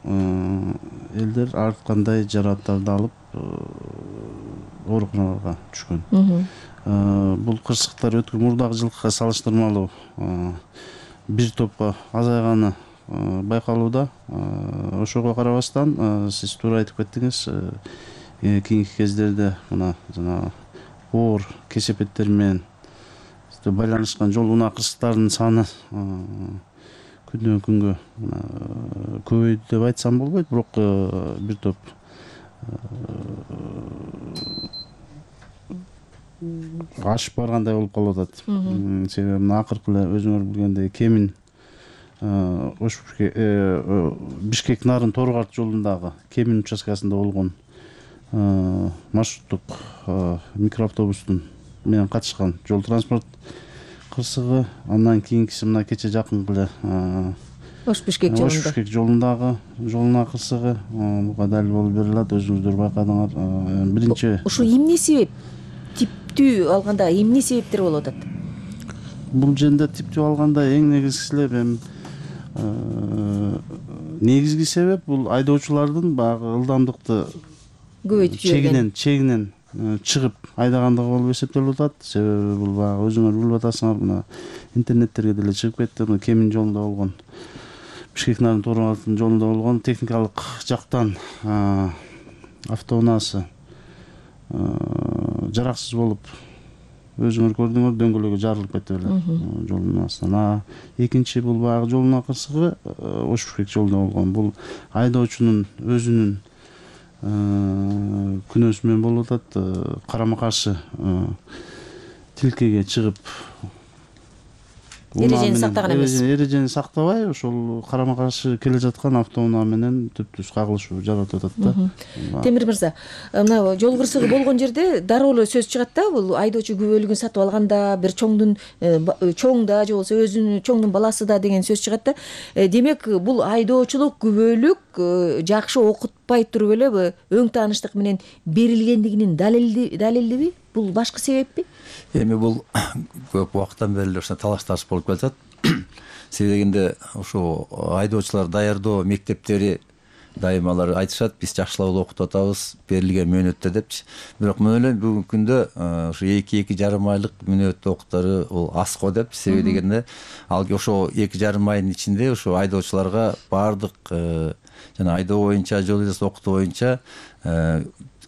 элдер ар кандай жаракаттарды алып ооруканаларга түшкөн. Бул кырсыктар өткөн мурдагы жылкыга салыштырмалуу бир топко азайганы байкалууда. Ошого карабастан сиз туура айтып кеттиңиз, кийинки кездерде мына жана оор кесепеттер менен байланышкан жол унаа кырсыктарынын саны күндөн күнгө көбөйдү деп айтсам болбойт, бирок бир топ ашып баргандай болуп калып атат. Себеби мына акыркы эле өзүңөр билгендей Кемин Бишкек Нарын Торгарт жолундагы Кемин участкасында болгон маршруттук микроавтобустун менен катышкан жол транспорт кырсыгы, андан кийинкиси мына кече жакынкы эле Ош-Бишкек жолундагы жолуна кырсыгы, буга далил болуп берилет, өзүңүздөр байкадыңар. Биринчи ушу эмне себеп? Типтүү алганда эмне себептер болуп атат? Бул жерде типтүү алганда эң негизги себеп бул айдоочулардын баягы ылдамдыкты чегинен чыгып айдагандыгы болуп эсептелип атат. Себеби бул баягы өзүңөр билип атасыңар, мына интернеттерге деле чыгып кетти. Мына Кемин жолунда болгон, Бишкек Нарын Торгартын жолунда болгон техникалык жактан автоунаасы жараксыз болуп, өзүңөр көрдүңөр, дөңгөлөгү жарылып кетти эле жолдун астынан. Экинчи бул баягы жолуна кырсыгы Ош-Бишкек жолунда болгон. Бул айдоочунун өзүнүн күнөөсү менен болуп атат. Карама каршы тилкеге чыгып эрежени сактаган эмес. Эрежени сактабай, ошол карама каршы келе жаткан автоунаа менен түп-түз кагылышуу жаратып атат да. Темир мырза, мына жол кырсыгы болгон жерде дароо эле сөз чыгат да, бул айдоочу күбөлүгүн сатып алганда, бир чоң да же болбосо өзүнүн чоңдун баласы да деген сөз чыгат да. Демек, бул айдоочулук күбөлүк жакшы окутпай туруп эле өң тааныштык менен берилгендигинин далилдиби? Бул башкы себеппи? Эми бул көп убакыттан бери ошо талаш тартыш болуп келатат. Себеби дегенде ошо айдоочулар даярдоо мектептери дайым алар айтышат, биз жакшылап эле окутуп атабыз берилген мөөнөттө депчи. Бирок мен ойлойм бүгүнкү күндө ошо 2-2,5 айлык мөөнөт окуттары бул аз го деп. Себеби дегенде ал ошо 2,5 айдын ичинде ошо айдоочуларга баардык жана айдоо боюнча, жол эрежесин окутуу боюнча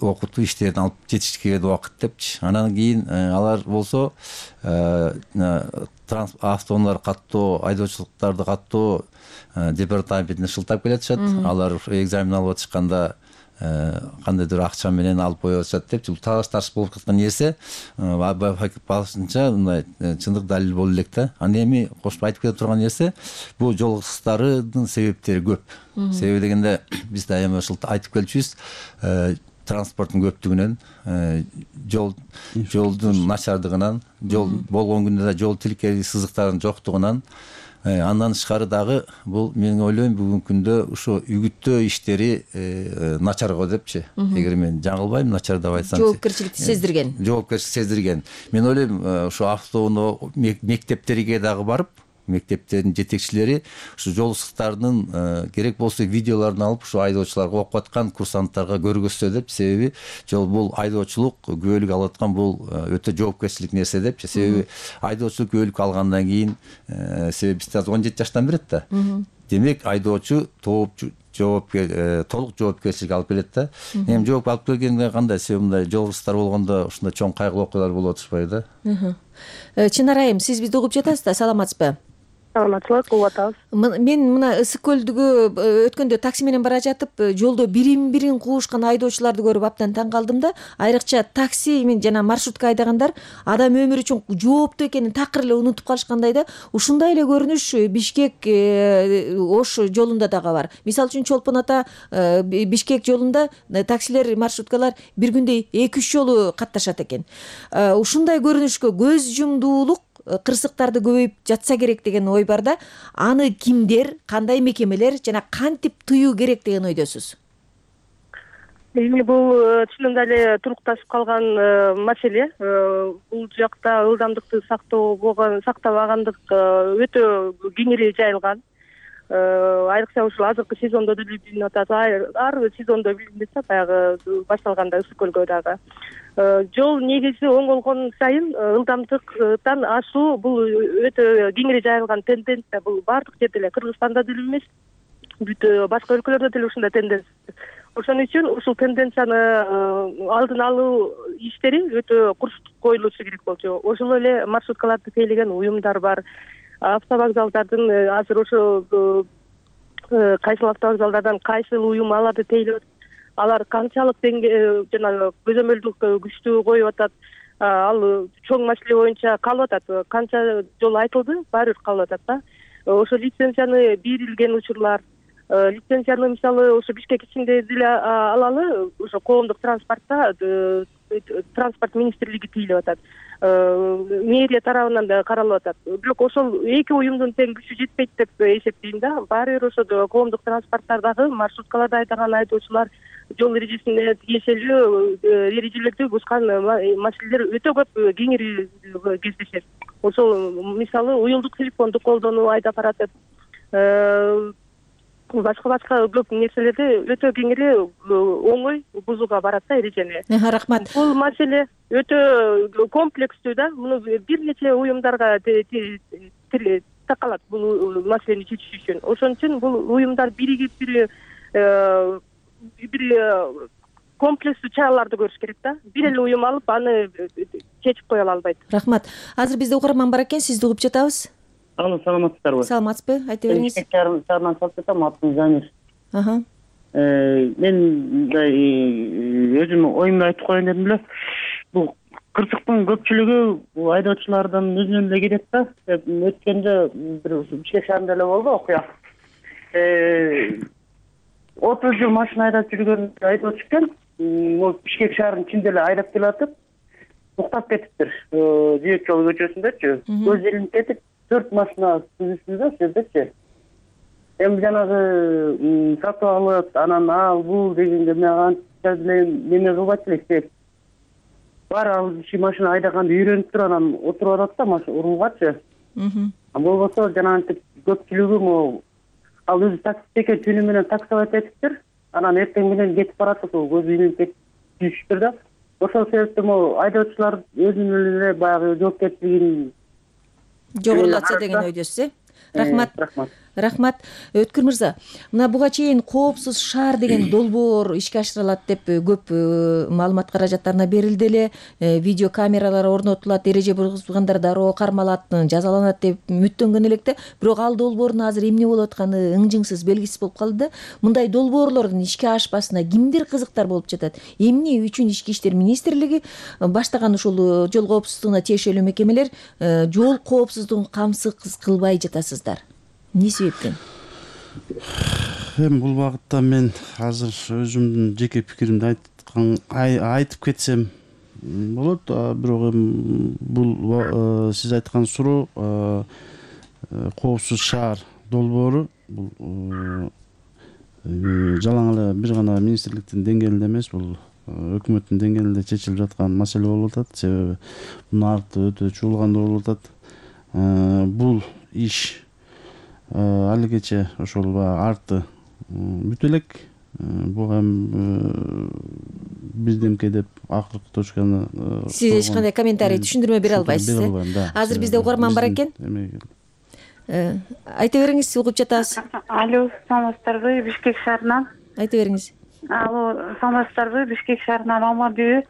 окутуу иштерин алып жетиш керек убакыт депчи. Анан кийин алар болсо автоунаалар каттоо, айдоочулуктарды каттоо департаментине шылтап келатышат. Алар экзамен алып атышканда кандайдыр акча менен алып коюп атышат депчи. Бул талаш тартыш болуп жаткан нерсе башынча мындай чындык далил боло элек да. Аны эми кошуп айтып кете турган нерсе, бул жол кырсыктарынын себептери көп. Себеби дегенде биз дайыма айтып келчүбүз, транспорттун көптүгүнөн, жолдун начардыгынан, жол болгон күндө да жол тилкели сызыктарынын жоктугунан, андан тышкары дагы бул мен ойлойм бүгүнкү күндө ошо үгүттөө иштери начар го депчи. Эгер мен жаңылбайм, начар деп айтсам. Жоопкерчиликти сездирген. Жоопкерчилик сездирген. Мен ойлойм ошо автоунаа мектептерге дагы барып, мектептердин жетекчилери ушу жол кырсыктарынын керек болсо видеолорун алып ушу айдоочуларга окуп аткан курсанттарга көргөзсө деп. Себеби жол бул айдоочулук күбөлүк алып аткан бул өтө жоопкерчилик нерсе депчи. Себеби айдоочулук күбөлүк алгандан кийин себеби биз азыр 17 жаштан берет да. демек айдоочу толук жоопкерчилик алып келет да. Эми жооп алып келгенде кандай себеп мындай жол кырсыздар болгондо ушундай чоң кайгылуу окуялар болуп атышпайбы да? Чынар айым, сиз бизди угуп жатасыз да, саламатсызбы? Саламатчылык, угуп атабыз. Мен мына ысык көлдүгү өткөндө такси менен бара жатып, жолдо бирин куушкан айдоочуларды көрүп абдан таң калдым да. Айрыкча такси мен жана маршрутка айдагандар адам өмүрү үчүн жооптуу экенин такыр эле унутуп калышкандай да. Ушундай эле көрүнүш Бишкек Ош жолунда дагы бар. Мисалы үчүн Чолпон ата Бишкек жолунда таксилер, маршруткалар бир күндө 2-3 жолу катташат экен. Ушундай көрүнүшкө көз жумдуулук, кырсыктарды көбөйүп жатса керек деген ой бар да. Аны кимдер, кандай мекемелер жана кантип тыюу керек деген ойдосуз? Эми бул чынында эле турукташып калган маселе. Бул жакта ылдамдыкты сактабагандык өтө кеңири жайылган. Айрыкча ушул азыркы сезондо деле билинип атат. Ар сезондо билинип атат, баягы башталганда ысык көлгө дагы. Жол негизи оңолгон сайын ылдамдыктан ашуу бул өтө кеңири жайылган тенденция. Бул баардык жерде эле, Кыргызстанда деле эмес, бүт башка өлкөлөрдө деле ушундай тенденция. Ошон үчүн ушул тенденцияны алдын алуу иштери өтө курчтук коюлушу керек болчу. Ошол эле маршруткаларды тейлеген уюмдар бар. Автовокзалдардын азыр ошо кайсыл автовокзалдардан кайсыл уюм аларды тейлеп, алар канчалык жанагы көзөмөлдүк күчтүү коюп атат, ал чоң маселе боюнча калып атат. Канча жолу айтылды, баары бир калып атат да. Ошо лицензияны берилген учурлар, лицензияны мисалы ошо Бишкек ичинде деле алалы, ошо коомдук транспортто транспорт министрлиги тейлеп атат. Мэрия тарабынан да каралып атат. Бирок ошол эки уюмдун тең күчү жетпейт деп эсептейм да. Баары бир ошо коомдук транспорттардагы маршруткаларда айдаган айдоочулар жол эрежесине тиешелүү эрежелерди бузган маселелер өтө көп кеңири кездешет. Ошол мисалы уюлдук телефонду колдонуу, айдап баратып, башка көп нерселерди өтө кеңири оңой бузууга барат да эрежени. Рахмат. Бул маселе өтө комплекстүү да. Муну бир нече уюмдарга такалат бул маселени чечиш үчүн. Ошон үчүн бул уюмдар биригип бир комплекстүү чараларды көрүш керек да. Бир эле уюм алып аны чечип кое албайт. Рахмат. Азыр бизде угарман бар экен, сизди угуп жатабыз. Алло, саламатсыздарбы? Саламатсызбы? Айта бериңиз. Шаарынан чалып жатам, атым Замир. Мен мындай өзүм оюмду айтып коеюн дедим эле. Бул кырсыктын көпчүлүгү бул айдоочулардан өзүнөн эле келет да. Өткөндө бир Бишкек шаарында эле болду окуя. 30 жыл машина айдап жүргөн айдоочу экен. Бул Бишкек шаарынын ичинде эле айдап келатып, уктап кетиптир. Жээк жол көчөсүндөчү. Көз илинип кетип 4 машина сүзүштү жердечи. Эми жанагы сатып алып, анан ал бул дегенде мен анча деле неме кылбайт элек. Бар ал киши машина айдаганды үйрөнүп туруп анан отуруп атат да машина урулгачы. Болбосо жанагынтип көпчүлүгү могу ал өзү таксист экен, түнү менен таксовать этиптир. Анан эртең менен кетип баратып, көз илинип кетиптир да. Ошол себептен могу айдоочулар өзүнүн эле баягы жоопкерчилигин жогорулатса деген ойдосуз, Рахмат. Өткүр мырза, мына буга чейин коопсуз шаар деген долбоор ишке ашырылат деп көп маалымат каражаттарына берилди эле. Видео камералар орнотулат, эреже бузгандар дароо кармалат, жазаланат деп үмүттөнгөн элек да. Бирок ал долбоордун азыр эмне болуп атканы ыңжыңсыз, белгисиз болуп калды да. Мындай долбоорлордун ишке ашпасына кимдер кызыктар болуп жатат? Эмне үчүн Ички иштер министрлиги баштаган ушул жол коопсуздугуна тиешелүү мекемелер жол коопсуздугун камсыз кылбай жатасыздар? Эмне себептен? Эми бул багытта мен азыр өзүмдүн жеке пикиримди айтып кетсем болот. Бирок эми бул сиз айткан суроо коопсуз шаар долбоору бул жалаң эле бир гана министрликтин деңгээлинде эмес, бул өкмөттүн деңгээлинде чечилип жаткан маселе болуп атат. Себеби мунун арты өтө чуулгандуу болуп атат. Бул иш алигече ошол арты бүтө элек. Буга эми бирдемке деп акыркы точканы сиз эч кандай комментарий, түшүндүрмө бере албайсыз. Азыр бизде угарман бар экен. Айта бериңиз, угуп жатабыз. Алло, саламатсыздарбы? Бишкек шаарынан. Айта бериңиз. Алло, саламатсыздарбы? Бишкек шаарынан Алмадүбү.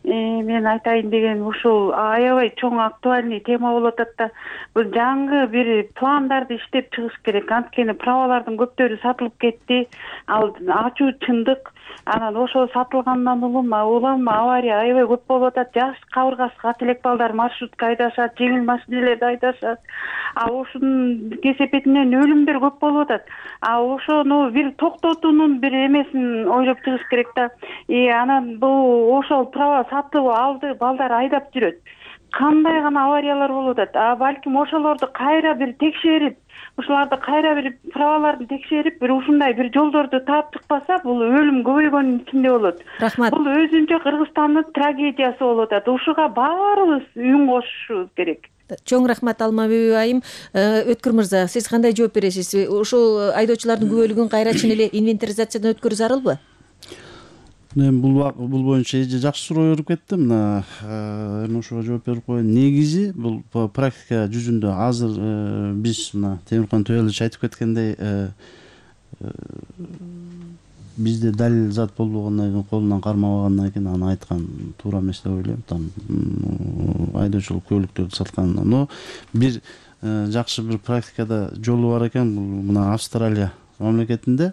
Мен айтайын деген ушул аябай чоң актуальный тема болуп атат да. Бул жаңы бир пландарды иштеп чыгыш керек. Анткени правалардын көптөрү сатылып кетти. Ал ачуу чындык. Анан ошол сатылгандан улам авария аябай көп болуп атат. Жаш кабыргасы кат элек балдар маршрутка айдашат, жеңил машинелерди айдашат. Ошонун кесепетинен өлүмдөр көп болуп атат. Ошону бир токтотуунун бир эмесин ойлоп чыгыш керек да. Анан бул ошол права сатып алды, балдар айдап жүрөт. Кандай гана авариялар болуп атат. Балким ошолорду кайра бир текшерип, ушуларды кайра бир праваларын текшерип, бир ушундай бир жолдорду таап чыкпаса, бул өлүм көбөйгөнүн ичинде болот. Рахмат. Бул өзүнчө Кыргызстандын трагедиясы болуп атат. Ушуга баарыбыз үн кошушубуз керек. Чоң рахмат Алмабүбү айым. Өткүр мырза, сиз кандай жооп бересиз? Ошол айдоочулардын күбөлүгүн кайра чын эле инвентаризациядан өткөрүү зарылбы? Бул боюнча жакшы суроо берип кетти. Мына эми ошого жооп берип коеюн. Негизи бул практика жүзүндө азыр биз мына Темиркан Төбөлович айтып кеткендей бизде далил зат болбогондон кийин, колунан кармабагандан кийин аны айткан туура эмес деп ойлойм. Там айдоочулук көлүктөрдү саткан. Но бир жакшы бир практикада жолу бар экен. Бул мына Австралия мамлекетинде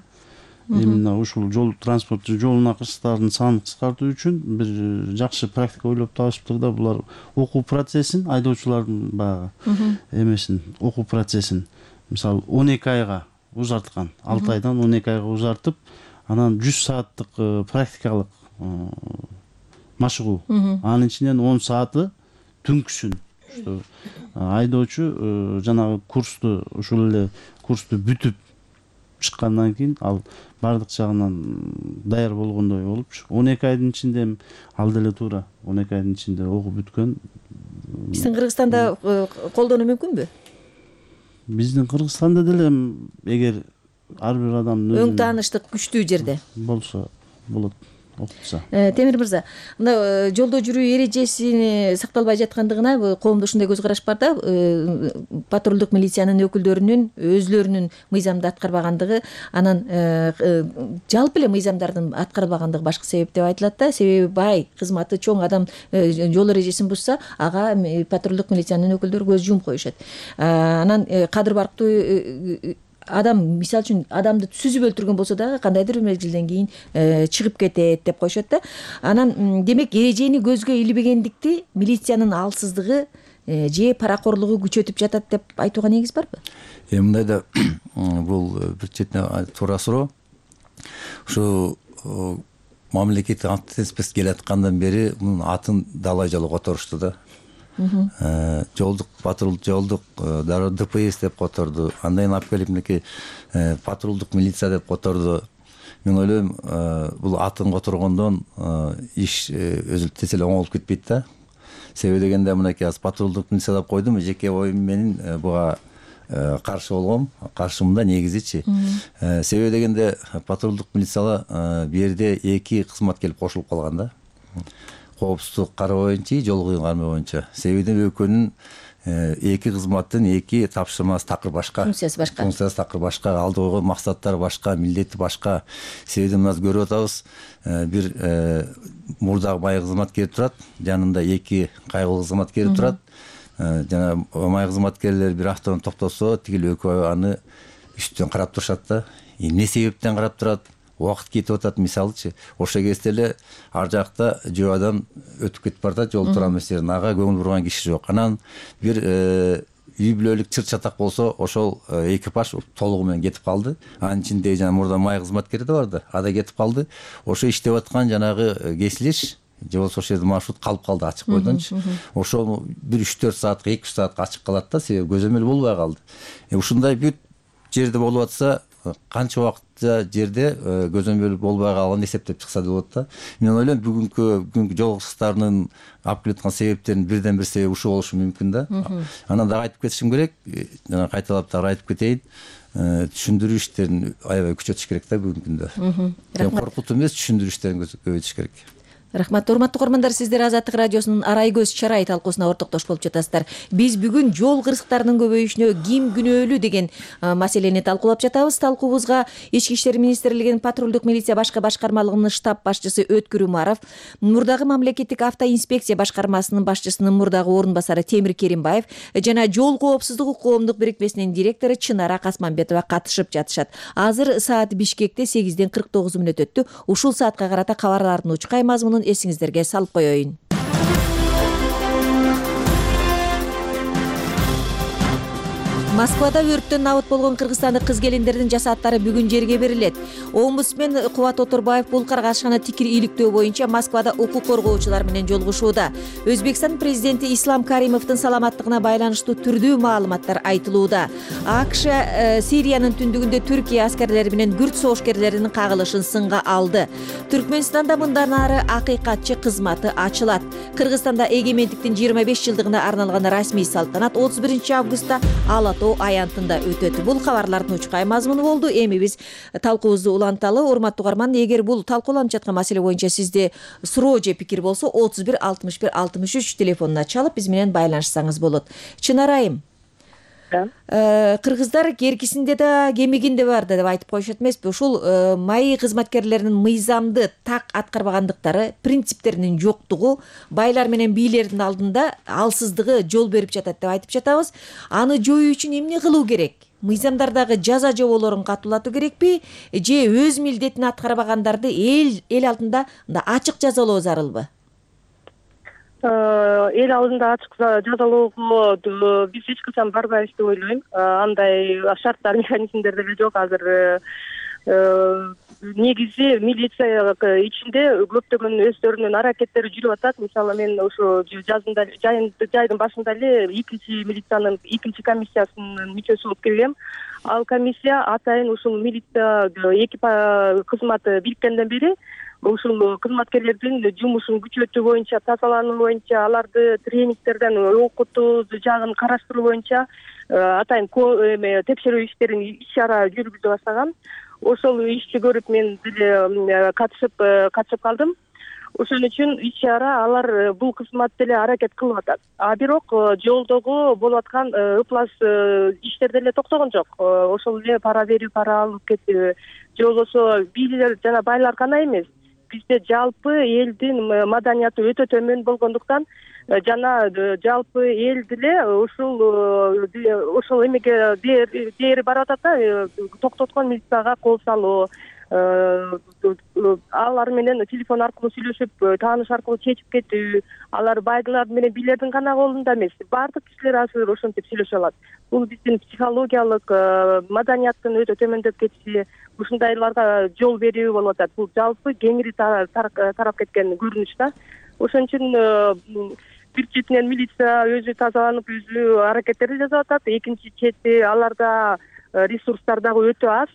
именно ушул жол транспорт жолуна кырсыктардын санын кыскартуу үчүн бир жакшы практика ойлоп табышыптыр да. Булар окуу процессин, айдоочулардын баягы эмесин, окуу процессин мисалы 12 айга узарткан. 6 айдан 12 айга узартып, анан 100 сааттык практикалык машыгуу. Анын ичинен 10 сааты түнкүсүн. Айдоочу жанагы курсту, ушул эле курсту бүтүп чыккандан кийин ал бардык жагынан даяр болгондой болуп, 12 айдын ичинде ал деле туура 12 айдын ичинде окуп бүткөн. Биздин Кыргызстанда колдонуу мүмкүнбү? Биздин Кыргызстанда деле эгер ар бир адамдын өң тааныштык күчтүү жерде болсо болот. Темир мырза, мына жолдо жүрүү эрежесини сакталбай жаткандыгына коомдо ушундай көз караш бар да. Патрулдук милициянын өкүлдөрүнүн өзлөрүнүн мыйзамды аткарбагандыгы, анан жалпы эле мыйзамдардын аткарбагандыгы башкы себеп деп айтылат да. Себеби бай, кызматы чоң адам жол эрежесин бузса, ага патрулдук милициянын өкүлдөрү көз жумуп коюшат. Анан кадыр барктуу адам, мисалы үчүн, адамды сүзүп өлтүргөн болсо дагы кандайдыр бир мезгилден кийин чыгып кетет деп коюшат да. Анан демек эрежени көзгө илбегендикти милициянын алсыздыгы же паракорлугу күчөтүп жатат деп айтууга негиз барбы? Мындай да бул бир четинен туура суроо. Ушу мамлекеттик антитеспес келаткандан бери мунун атын далай жолу которушту да. Жолдук патрулдук жолдук дароо ДПС деп которду. Андан алып келип мынакей патрулдук милиция деп которду. Мен ойлойм, бул атын которгондон иш өзү тез эле оңолуп кетпейт да. Себеби дегенде мынакей аз патрулдук милиция деп койдум, жеке оюм менин буга каршы болгом, каршымда негизичи. Себеби дегенде патрулдук милициялар бу жерде эки кызмат келип кошулуп калган да. Коопсуздук кароо боюнча, жол кыйын кармоо боюнча. Себеби экөөнүн эки кызматтын эки тапшырмасы такыр башка. Функциясы башка. Функциясы такыр башка, алды койгон максаттары башка, милдети башка. Себеби мына көрүп атабыз, бир мурдагы май кызматкери турат, жанында эки кайгылуу кызматкери турат. Жана май кызматкерлер бир автону токтосо, тигил экөө аны үстүнөн карап турушат да. Эмне себептен карап турат? Убакыт кетип атат, мисалычы. Ошол кезде эле ар жакта жөө адам өтүп кетип барат, жол турган эместерин ага көңүл бурган киши жок. Анан бир үй бүлөлүк чыр-чатак болсо, ошол экипаж толугу менен кетип калды. Анын ичинде жана мурда май кызматкери да бар да, ада кетип калды. Ошо иштеп аткан жанагы кесилиш же болбосо ошол жерде маршрут калып калды ачык бойдончу. Ошол бир 3-4 саатка, 2 саатка ачык калат да, себеби көзөмөл болбой калды. Ушундай бүт жерде болуп атса, канча убакытта жерде көзөмөл болбой калганын эсептеп чыкса деп болот да. Мен ойлойм, бүгүнкү жол кырсыктарынын алып келаткан себептеринин бирден бир себеби ушул болушу мүмкүн да. Анан дагы айтып кетишим керек, жана кайталап дагы айтып кетейин, түшүндүрүү иштерин аябай күчөтүш керек да бүгүнкү күндө. Коркутуу эмес, түшүндүрүү иштерин көбөйтүш керек. Рахмат. Урматтуу көрөрмандар, сиздер Азаттык радиосунун Арай көз чарай талкуусуна ортоктош болуп жатасыздар. Биз бүгүн жол кырсыктарынын көбөйүшүнө ким күнөөлүү деген маселени талкуулап жатабыз. Талкуубузга Ички иштер министрлигинин патрулдук милиция башкы башкармалыгынын штаб башчысы Өткүр Умаров, мурдагы мамлекеттик автоинспекция башкармасынын башчысынын мурдагы орун басары Темир Керимбаев жана жол коопсуздугу коомдук бирикмесинин директору Чынара Касманбетова катышып жатышат. Азыр саат Бишкекте 8:49 өттү. Ушул саатка карата кабарлардын учкай мазмунун эсиңиздерге салып коеюн. Москвада өрттөн набыт болгон кыргызстандык кыз-келиндердин жасааттары бүгүн жерге берилет. Омбудсмен Кубат Оторбаев бул каргашканы тикир иликтөө боюнча Москвада укук коргоочулар менен жолугушууда. Өзбекстан президенти Ислам Каримовдун саламаттыгына байланыштуу түрдүү маалыматтар айтылууда. АКШ Сириянын түндүгүндө Түркия аскерлери менен күрд согушкерлеринин кагылышын сынга алды. Түркмөнстанда мындан ары акыйкатчы кызматы ачылат. Кыргызстанда эгемендиктин 25 жылдыгына арналган расмий салтанат 31 августта Алатоо аянтында өтөт. Бул кабарлардын учкай мазмуну болду. Эми биз талкуубузду уланталы. Урматтуу угарман, эгер бул талкууланып жаткан маселе боюнча сизде суроо же пикир болсо 31 61 63 телефонуна чалып биз менен байланышсаңыз болот. Чынарайым, кыргыздар керкисинде да кемигинде бар деп айтып коюшат эмеспи? Ушул маи кызматкерлеринин мыйзамды так аткарбагандыктары, принциптеринин жоктугу байлар менен бийлердин алдында алсыздыгы жол берип жатат деп айтып жатабыз. Аны жоюу үчүн эмне кылуу керек? Мыйзамдардагы жаза жоболорун катуулатуу керекпи же өз милдетин аткарбагандарды эл алдында ачык жазалоо зарылбы? Эл алдында ачык жазалоого биз эч качан барбайбыз деп ойлойм. Андай шарттар, механизмдер деле жок азыр. Негизи милиция ичинде көптөгөн өздөрүнүн аракеттери жүрүп атат. Мисалы мен ошо жайдын башында эле 2-милициянын 2-комиссиясынын мүчөсү болуп келгем. Ал комиссия атайын ушул милиция кызматы бириккенден бери ушул кызматкерлердин жумушун күчөтүү боюнча, тазалануу боюнча, аларды тренингтерден окутуу жагын караштыруу боюнча атайын текшерүү иштерин иш-чара жүргүзө баштаган. Ошол ишти көрүп мен деле катышып калдым. Ошон үчүн иш-чара алар бул кызмат деле аракет кылып атат. Бирок жолдогу болуп аткан ыплас иштер деле токтогон жок. Ошол эле пара берүү, пара алып кетүү, же болбосо бийлер жана байлар гана эмес. Бизде жалпы элдин маданияты өтө төмөн болгондуктан жана жалпы эл деле ушул эмеге дээри барып атат да, токтоткон милицияга кол салуу, алар менен телефон аркылуу сүйлөшүп, тааныш аркылуу чечип кетүү, алар байлар менен бийлердин гана колунда эмес, баардык кишилер азыр ошентип сүйлөшө алат. Бул биздин психологиялык маданияттын өтө төмөндөп кетиши, ушундайларга жол берүү болуп атат. Бул жалпы кеңири тарап кеткен көрүнүш да. Ошон үчүн бир четинен милиция өзү тазаланып, өзү аракеттерди жасап атат. Экинчи чети аларда ресурстар дагы өтө аз.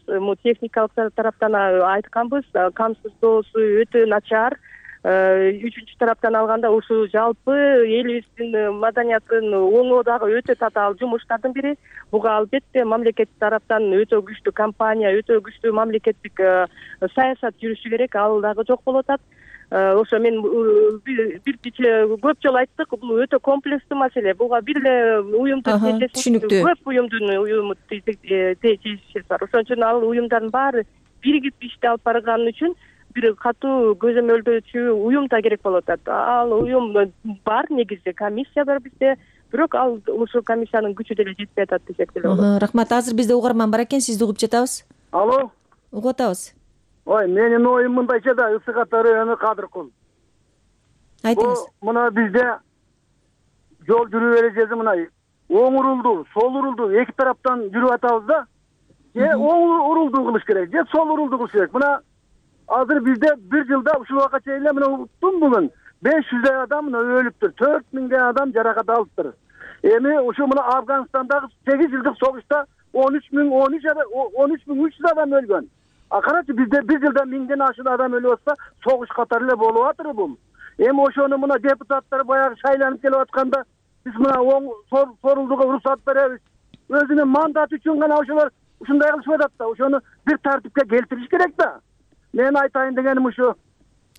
Техникалык тараптан айтканбыз, камсыздоосу өтө начар. Үчүнчү тараптан алганда ушу жалпы элибиздин маданиятын оңоо дагы өтө татаал жумуштардын бири. Буга албетте мамлекет тараптан өтө күчтүү компания, өтө күчтүү мамлекеттик саясат жүрүшү керек. Ал дагы жок болуп атат. Ошо мен көп жолу айттык, бул өтө комплекстүү маселе. Буга бир эле уюмдун көп уюмдун тиешеси бар. Ошон үчүн ал уюмдардын баары биригип ишти алып барган үчүн бир катуу көзөмөлдөөчү уюм да керек болуп атат. Ал уюм бар, негизи комиссия бар бизде, бирок ал ушул комиссиянын күчү деле жетпей атат десек деле болот. Рахмат. Азыр бизде угарман бар экен, сизди угуп жатабыз. Алло. Угуп атабыз. Ой, менин оюм мындайча да, Ысык району Кадыркул. Айтыңыз. Мына бизде жол жүрүү эрежеси мына оң урулду, сол урулду эки тараптан жүрүп атабыз да. Же оң урулду кылыш керек, же сол урулду кылыш керек. Мына азыр бизде бир жылда ушул убакка чейин эле мына бүгүн 500 адам өлүптүр, 4000 адам жаракат алыптыр. Эми ушу мына Афганстандагы 8 жылдык согушта 13.300 адам өлгөн. Карачы бизде бир жылда 1000ден ашык адам өлүп атса, согуш катары эле болуп атыр бул. Эми ошону мына депутаттар баягы шайланып келип атканда биз мына оң сорулдуга уруксат беребиз. Өзүнүн мандаты үчүн гана ошолор ушундай кылышып атат да, ошону бир тартипке келтириш керек да. Мен айтайын дегеним ушу.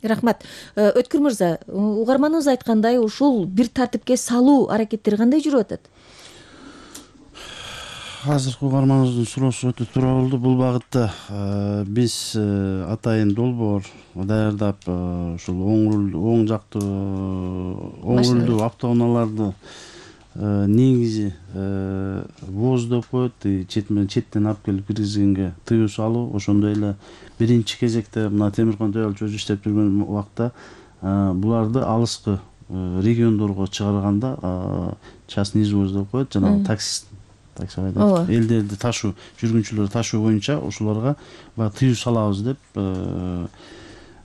Рахмат. Өткүр мырза, угарманыбыз айткандай, ушул бир тартипке салуу аракеттери кандай жүрүп атат? Азыркы угарманыбыздын суроосу өтө туура болду. Бул багытта биз атайын долбоор даярдап, ушул оң рулдуу автоунааларды негизи воз деп коет, четтен алып келип киргизгенге тыюу салуу, ошондой эле биринчи кезекте мына Темиркан Төбөлчү өзү иштеп жүргөн убакта буларды алыскы региондорго чыгарганда частный извоз деп коет, жанагы таксист элдерди ташуу, жүргүнчүлөрдү ташуу боюнча ушуларга баягы тыюу салабыз деп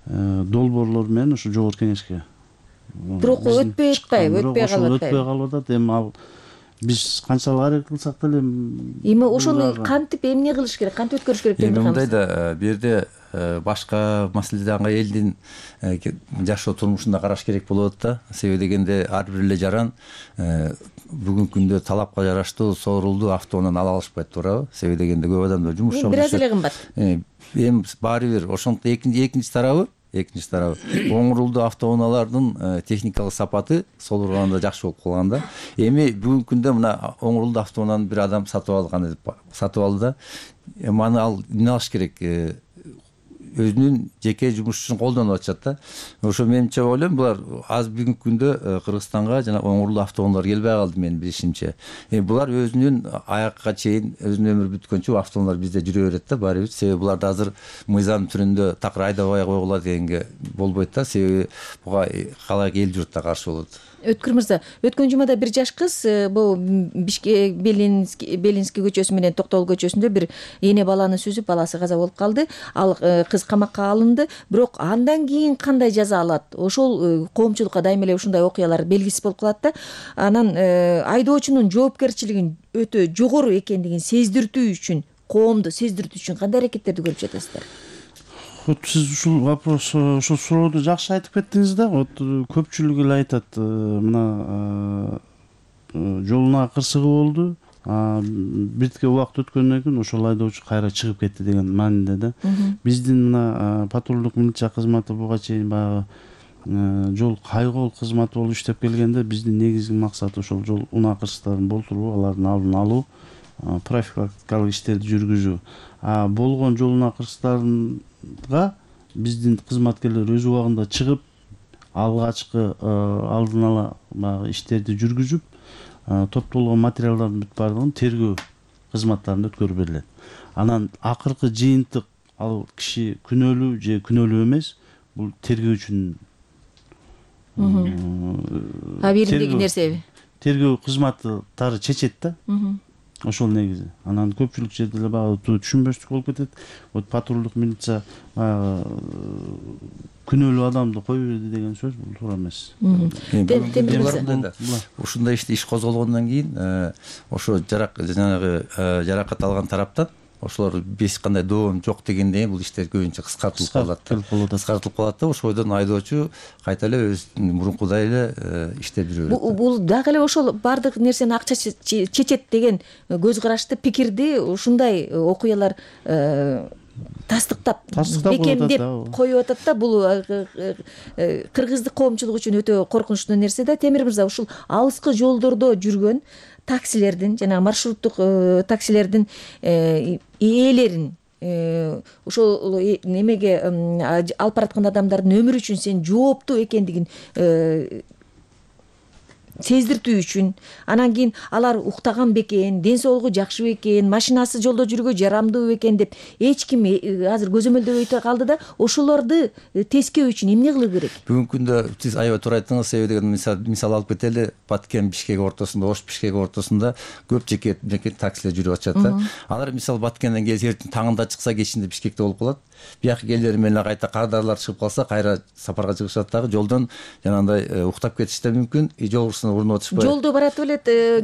долбоорлор менен ушу жогорку кеңешке. Бирок өтпөй калып атат. Эми ал биз канчалык аракет кылсак деле эми ошону кантип эмне кылыш керек, кантип өткөрүш керек деп мындай да, бул жерде башка маселедеги элдин жашоо турмушунда караш керек болот да. Себеби дегенде ар бир эле жаран бүгүнкү күндө талапка жараштуу соорулду автоунааны ала алышпайт, туурабы? Себеби дегенде көп адамдар жумуш жок. Бир аз эле кымбат. Эми баары бир ошондой экинчи тарабы оң рулдуу автоунаалардын техникалык сапаты сол урганда жакшы болуп калган да. Эми бүгүнкү күндө мына оң рулдуу автоунааны бир адам сатып алды да. Эми аны ал эмне алыш керек? Өзүнүн жеке жумушчусун колдонуп атышат да. Ошо менимче ойлойм, булар аз бүгүнкү күндө Кыргызстанга жана оң рулдуу автоунаалар келбей калды менин билишимче. Булар өзүнүн аякка чейин өзүнүн өмүрү бүткөнчө автоунаалар бизде жүрө берет да, баары бир. Себеби буларды азыр мыйзам түрүндө такыр айдабай койгула дегенге болбойт да. Себеби буга калайык эл журт да каршы болот. Өткүр мырза, өткөн жумада бир жаш кыз бул Бишкек Белинский көчөсү менен Токтогул көчөсүндө бир эне баланы сүзүп, баласы каза болуп калды. Ал кыз камакка алынды, бирок андан кийин кандай жаза алат? Ошол коомчулукка дайыма эле ушундай окуялар белгисиз болуп калат да. Анан айдоочунун жоопкерчилигин өтө жогору экендигин сездиртүү үчүн, коомду сездиртүү үчүн кандай аракеттерди көрүп жатасыздар? Сиз ушул вопрос, ушул сурооду жакшы айтып кеттиңиз да. Көпчүлүк эле айтат, мына жолуна кырсыгы болду, биртке убакыт өткөндөн кийин ошол айдоочу кайра чыгып кетти деген маанинде да. Биздин мына патрулдук милиция кызматы буга чейин баягы жол кайгоол кызматы болуп иштеп келгенде биздин негизги максаты ошол жол унакырсыктарын болтуруу, алардын алдын алуу, профилактикалык иштерди жүргүзүү. Болгон жол унакырсыктарга биздин кызматкерлер өз убагында чыгып, алгачкы алдын ала баягы иштерди жүргүзүп, топтолгон материалдардын бүт баардыгын тергөө кызматтарында өткөрүп берилет. Анан акыркы жыйынтык ал киши күнөөлүү же күнөөлүү эмес, бул тергөөчүнүн абийириндеги нерсеби? Тергөө кызматтары чечет да. Ошол негизи. Анан көпчүлүк жерде эле баягы түшүнбөстүк болуп кетет. Вот патрулдук милиция баягы күнөөлүү адамды кое берди деген сөз бул туура эмес. Ушундай иш козголгондон кийин ошо жанагы жаракат алган тараптан ошолор эч кандай доом жок дегенде бул иштер көбүнчө кыскартылып калат да. Ошойдон айдоочу кайта эле өзүнүн мурункудай эле иштеп жүрө берет. Бул дагы эле ошол баардык нерсени акча чечет деген көз карашты пикирди ушундай окуялар тастыктап бекемдеп коюп атат да. Бул кыргыздык коомчулук үчүн өтө коркунучтуу нерсе да. Темир мырза, ушул алыскы жолдордо жүргөн таксилердин жана маршруттук таксилердин ээлерин ошол немеге алып бараткан адамдардын өмүрү үчүн сен жооптуу экендигин сездиртүү үчүн, анан кийин алар уктаган бекен, ден соолугу жакшы бекен, машинасы жолдо жүрүүгө жарамдуу бекен деп эч ким азыр көзөмөлдөбөй калды да. Ошолорду тескөө үчүн эмне кылуу керек? Бүгүнкү күндө сиз аябай туура айттыңыз. Себеби деген мисал алып кетели, Баткен Бишкек ортосунда, Ош Бишкек ортосунда көп жеке таксилер жүрүп атышат да. Алар мисал Баткенден келип таңында чыкса, кечинде Бишкекте болуп калат. Бияк элдер менен кайта кардарлар чыгып калса, кайра сапарга чыгышат дагы. Жолдон жанагындай уктап кетиши да мүмкүн. Жол урунуп атышпайбы? Жолдо баратып эле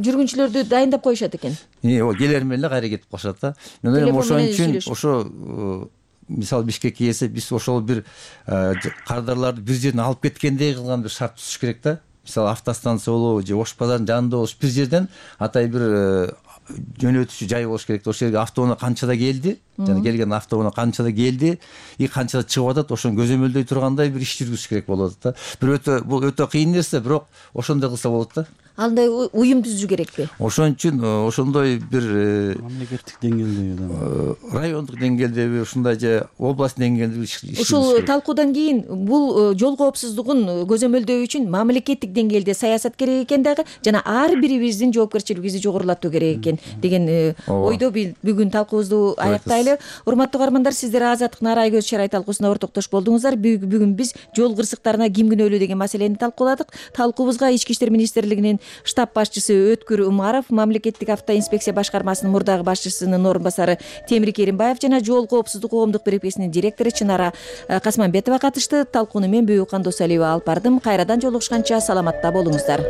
жүргүнчүлөрдү дайындап коюшат экен. Келер менен эле кайра кетип калышат да. Мен ойлойм ошон үчүн ошо мисал Бишкекке келсе, биз ошол бир кардарларды бир жерден алып кеткендей кылган бир шарт түзүш керек да. Мисалы автостанция болобу же Ош базарынын жанында болуш бир жерден атай бир жөнөтүүчү жай болуш керек. Ошол жерге автоунаа канчада келди, жана келген автоунаа канчада келди и канчада чыгып атат, ошону көзөмөлдөй тургандай бир иш жүргүзүш керек болот да. Бул өтө кыйын нерсе, бирок ошондой кылса болот да. Андай уюм түзүү керекпи? Ошон үчүн ошондой бир мамлекеттик деңгээлдеби, райондук деңгээлдеби, ушундай же область деңгээлдеги ушул талкуудан кийин бул жол коопсуздугун көзөмөлдөө үчүн мамлекеттик деңгээлде саясат керек экен дагы, жана ар бирибиздин жоопкерчилигибизди жогорулатуу керек экен деген ойдо бүгүн талкуубузду аяктайлы. Урматтуу угармандар, сиздер Азаттык Наарай көз чарай талкуусуна ортоктош болдуңуздар. Бүгүн биз жол кырсыктарына ким күнөөлүү деген маселени талкууладык. Талкуубузга Ички иштер министрлигинин штаб башчысы Өткүр Умаров, мамлекеттик автоинспекция башкармасынын мурдагы башчысынын орун басары Темир Керимбаев жана жол коопсуздук коомдук бирикмесинин директору Чынара Касманбетова катышты. Талкууну мен Бүйүкхан Досалиева алып бардым. Кайрадан жолугушканча саламатта болуңуздар.